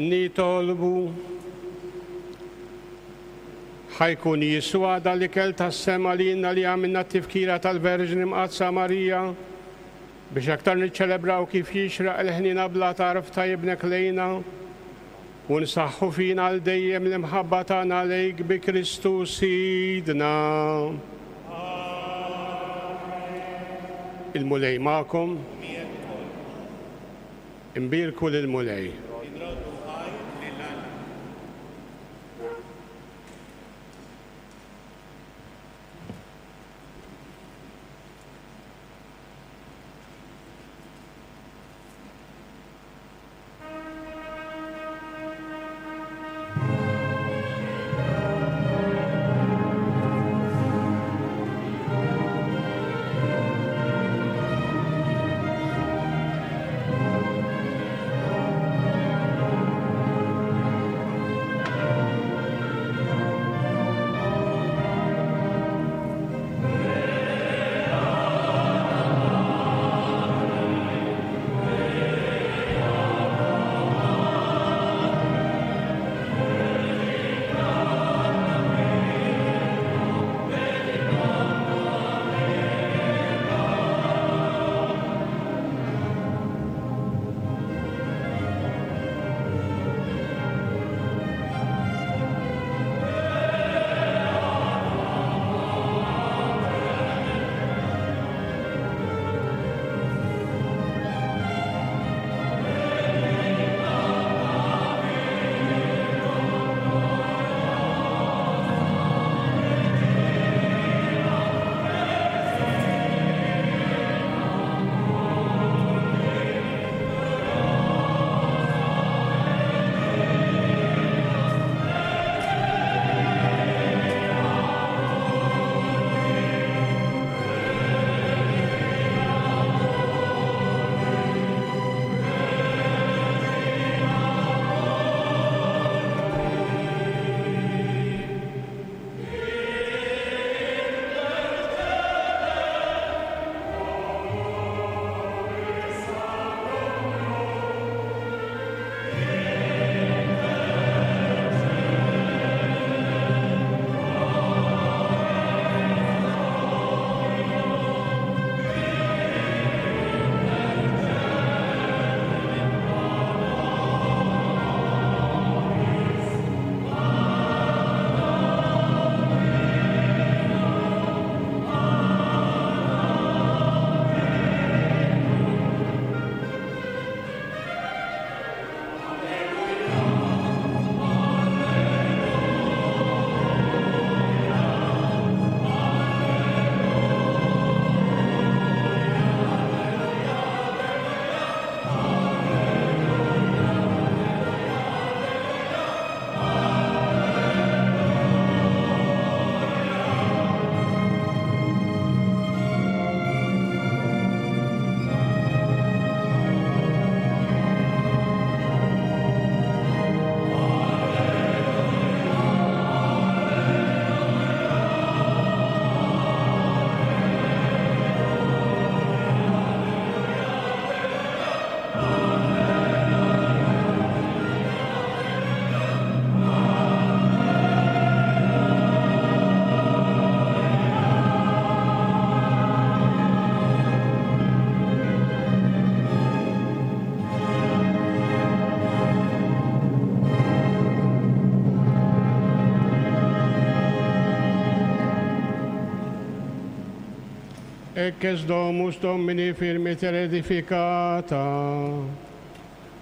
Nitolbu ħajkun jiswa dal-ikel tas-sema li jinna li għamilna t-tifkira tal-Verġni Mqaddsa Marija biex aktar niċċelebraw kif jixraq il-ħnina bla tarf ta' ibnek lejna u nsaħħu fina għal dejjem l-imħabba tagħna lejk bi Kristu Sidna. Il-Mulej magħkom. Imbierku lill-Mulej. Ecce est domus Domini firmiter edificata,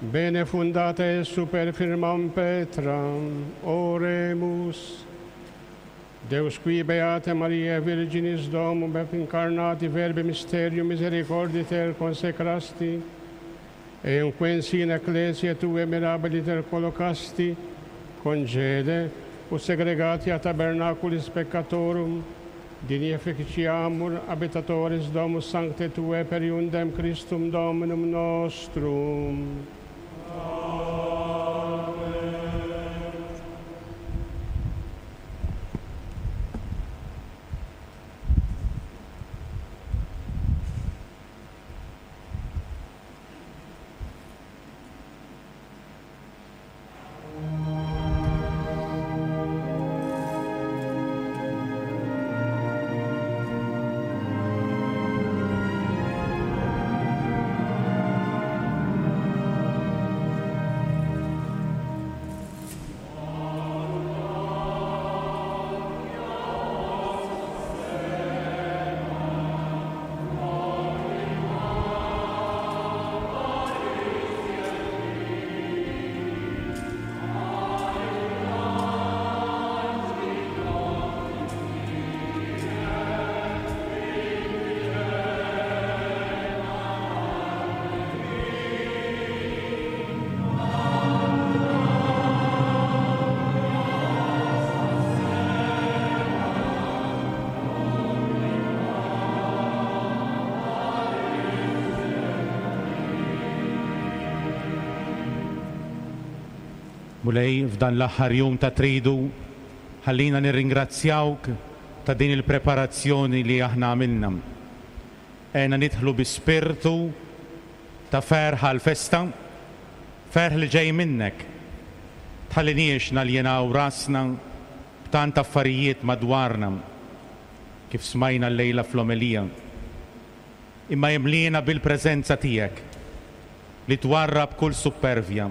bene fundata et super firmam petram, oremus. Deus qui beate Maria Virginis Domum et incarnati Verbi mysterium misericorditer consecrasti, eumque in ecclesia tue mirabiliter collocasti, congede, ut segregati a tabernaculis peccatorum, digni efficiamur habitatores domus sancte tue per iundem Christum Dominum nostrum. Mulej, f'dan l-aħħar jum ta' tridu, ħallina nirringrazzjawk ta' din il-preparazzjoni li aħna għamilna. Għena nidħlu bi spirtu ta' ferħ għal-festa, ferħ li ġej minnek. Tħalliniex naljenaw rasna b'tant affarijiet madwarna, kif smajna l-lejla fl-omelija. Imma jimlina bil-preżenza tiegħek li twarrab kull supervja,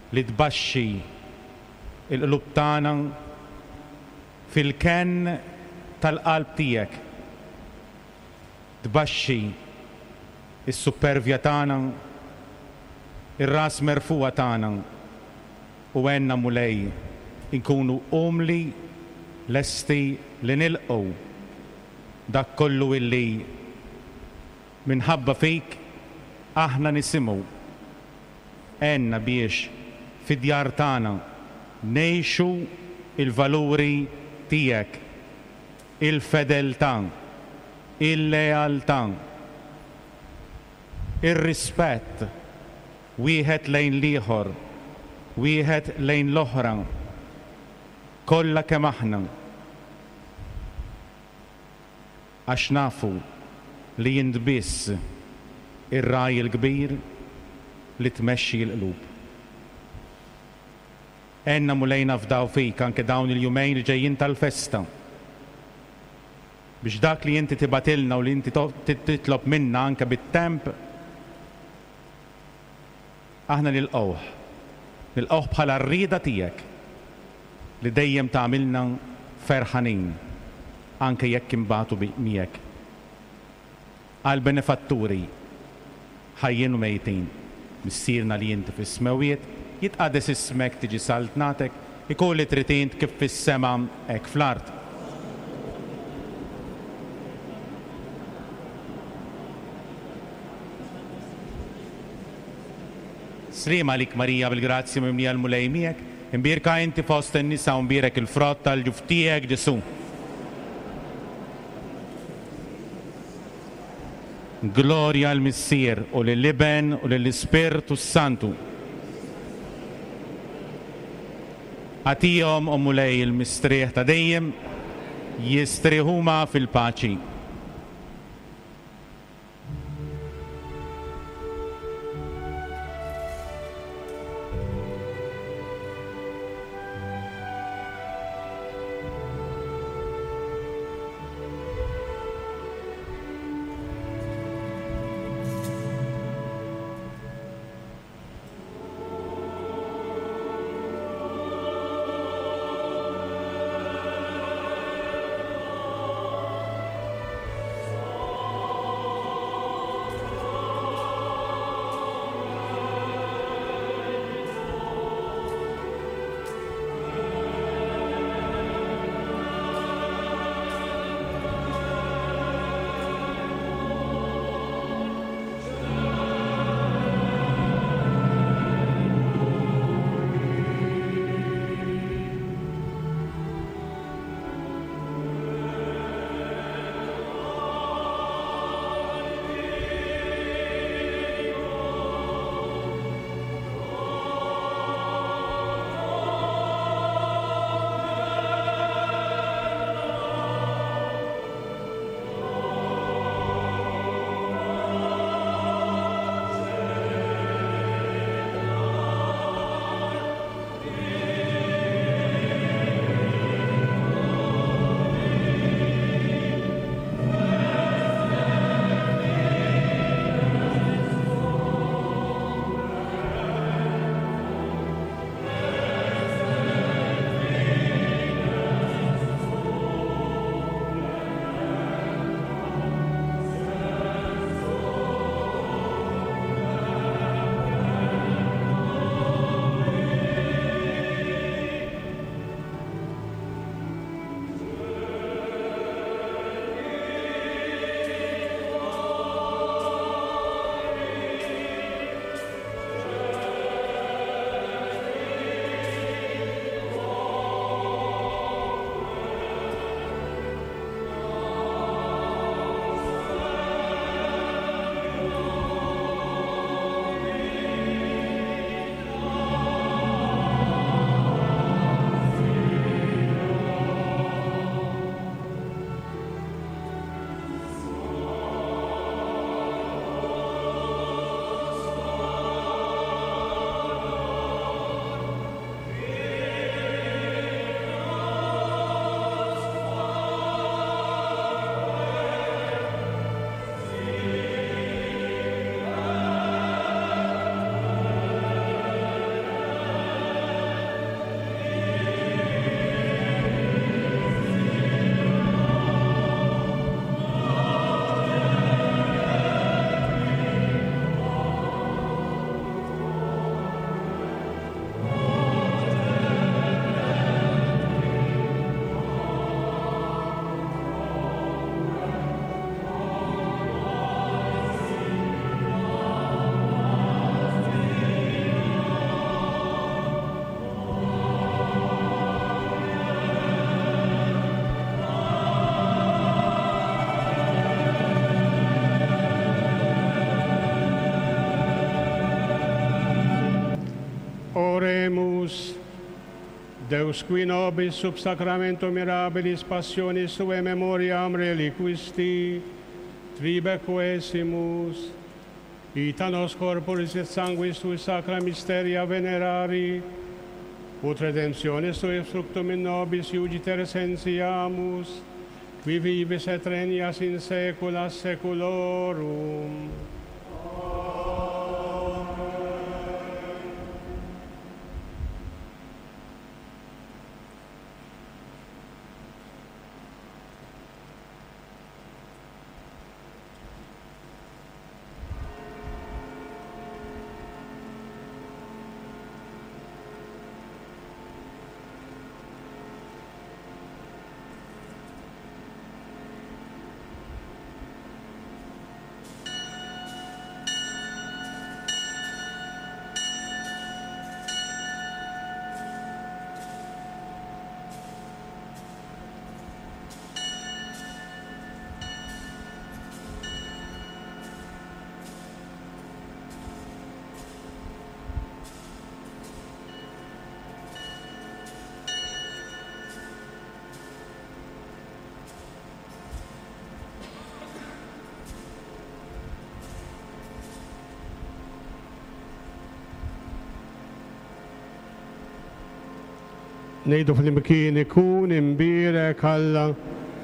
li tbaxxi il-qlub tagħna fil-kenn tal-qalb tiegħek. Tbaxxi is-supervja tagħna, ir-ras merfuqa tagħna, u għenna Mulej inkunu umli lesti li nilqgħu dak kollu illi minħabba fik aħna nisimgħu. Għenna biex fid-djar tagħna ngħixu il-valuri tiegħek, il-fedeltà, il-lealtà, ir-rispett wieħed lejn l-ieħor, wieħed lejn l-oħra, kollha kemm aħna. Għax nafu li int biss ir-raj il-kbir li tmexxi l-qlub. Għenna Mulej nafdaw fik anke dawn il-jumejn li ġejjin tal-festa, biex dak li inti tibatilna u li inti titlob minna anke bit-temp, aħna nilqgħuh. Nilqgħuh bħala r-rieda tiegħek li dejjem tagħmilna ferħanin anke jekk imbagħtu miegħek. Għal benefatturi ħajjin u mejtin, Missierna li inti fis-smewwiet, jitqades ismek, tiġi saltnatek, ikun li trid int kif fis-sema hekk fl-art. Sliem għalik Marija bil-grazzja mimlija l-Mulej miegħek, imbierka inti fost in-nisa u mbierek il-frott tal-ġuf tiegħek Ġesù. Glorja l-Missier u lill-Iben u lill-Ispirtu s-Santu. Għatihom, o Mulej, il-mistrieħ ta' dejjem, jistrieħuma fil-paċi. Deus qui nobis sub sacramento mirabilis passionis sue memoriam reliquisti, tribe quesimus, ita nos corporis et sanguis sui sacra mysteria venerari, ut redemptionis sui fructum in nobis iugiter sentiamus, qui vivis et regnas in saecula saeculorum. Ngħidu flimkien ikun imbierek Alla,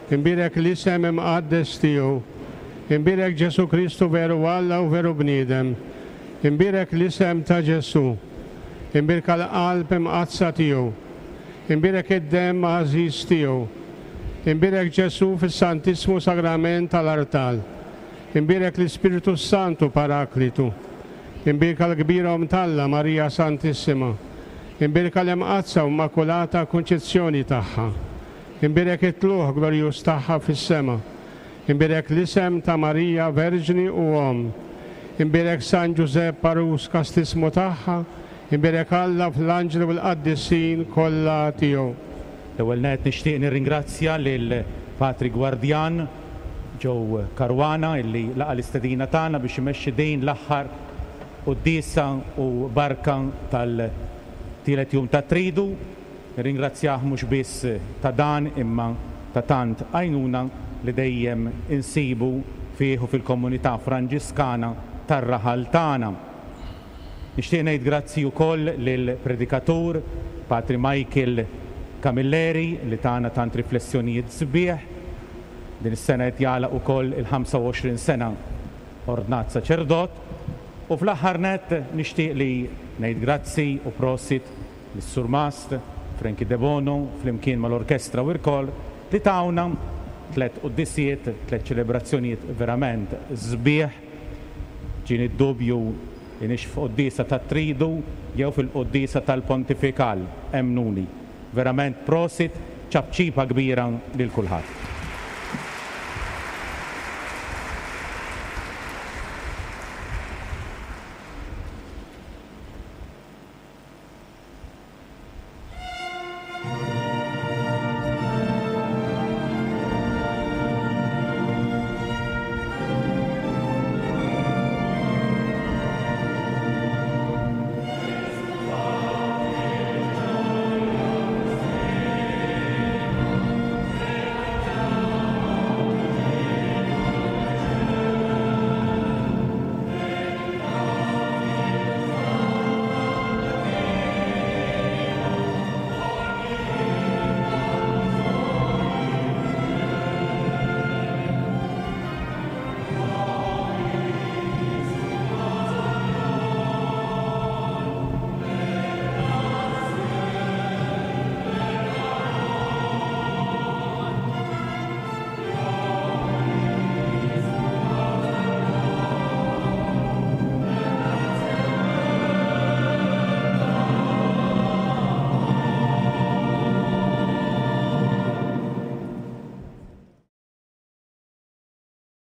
imbierek l-isem imqaddes tiegħu, imbierek Ġesu Kristu veru Alla u veru bniedem, imbierek l-isem ta' Ġesu, imbierka l-qalb imqaddsa tiegħu, imbierek id-demm għażiż tiegħu, imbierek Ġesu fis-Santissmu Sagrament tal-Artal, imbierek l-Ispiritu Santu Paraklitu, imbierka l-kbira Omm t'Alla Marija Santissima, imbierka l-Imqaddsa u Immakulata Kunċizzjoni tagħha, imbierek it-tluħ glorjuż tagħha fis-sema, imbierek l-isem ta' Marija Verġni u Omm, imbierek San Ġużepp Parus kastismu tagħha, imbierek Alla fl-anġli u l-qaddisin kollha tiegħu. L-ewwel nett nixtieq nirringrazzja lil Patri Gwardjan Joe Caruana illi laqa l-istedina tagħna biex imexxi din l-aħħar quddiesa u barka tal tielet jum ta' tridu. Nirringrazzjah mhux biss ta' dan imma ta' tant għajnuna li dejjem insibu fih u fil-komunità Franġiskana tar-raħal tagħna. Nixtieq ngħid grazzi wkoll lill-predikatur Patri Michael Camilleri li tagħna tant riflessjonijiet sbieħ. Din is-sena qed jagħlaq ukoll il-ħamsa u għoxrin sena ordnat saċerdot. U fl-aħħar nett nixtieq li ngħid grazzi u prosit lis-Surmast Frankie Debono flimkien mal-orkestra u l-kor li tawna tliet quddisiet, tliet ċelebrazzjonijiet verament sbieħ. Ġieni d-dubju li nix f'quddiesa tat-tridu jew fil-quddiesa tal-pontifikal, emnuni. Verament prosit, ċapċipa kbira lil kulħadd.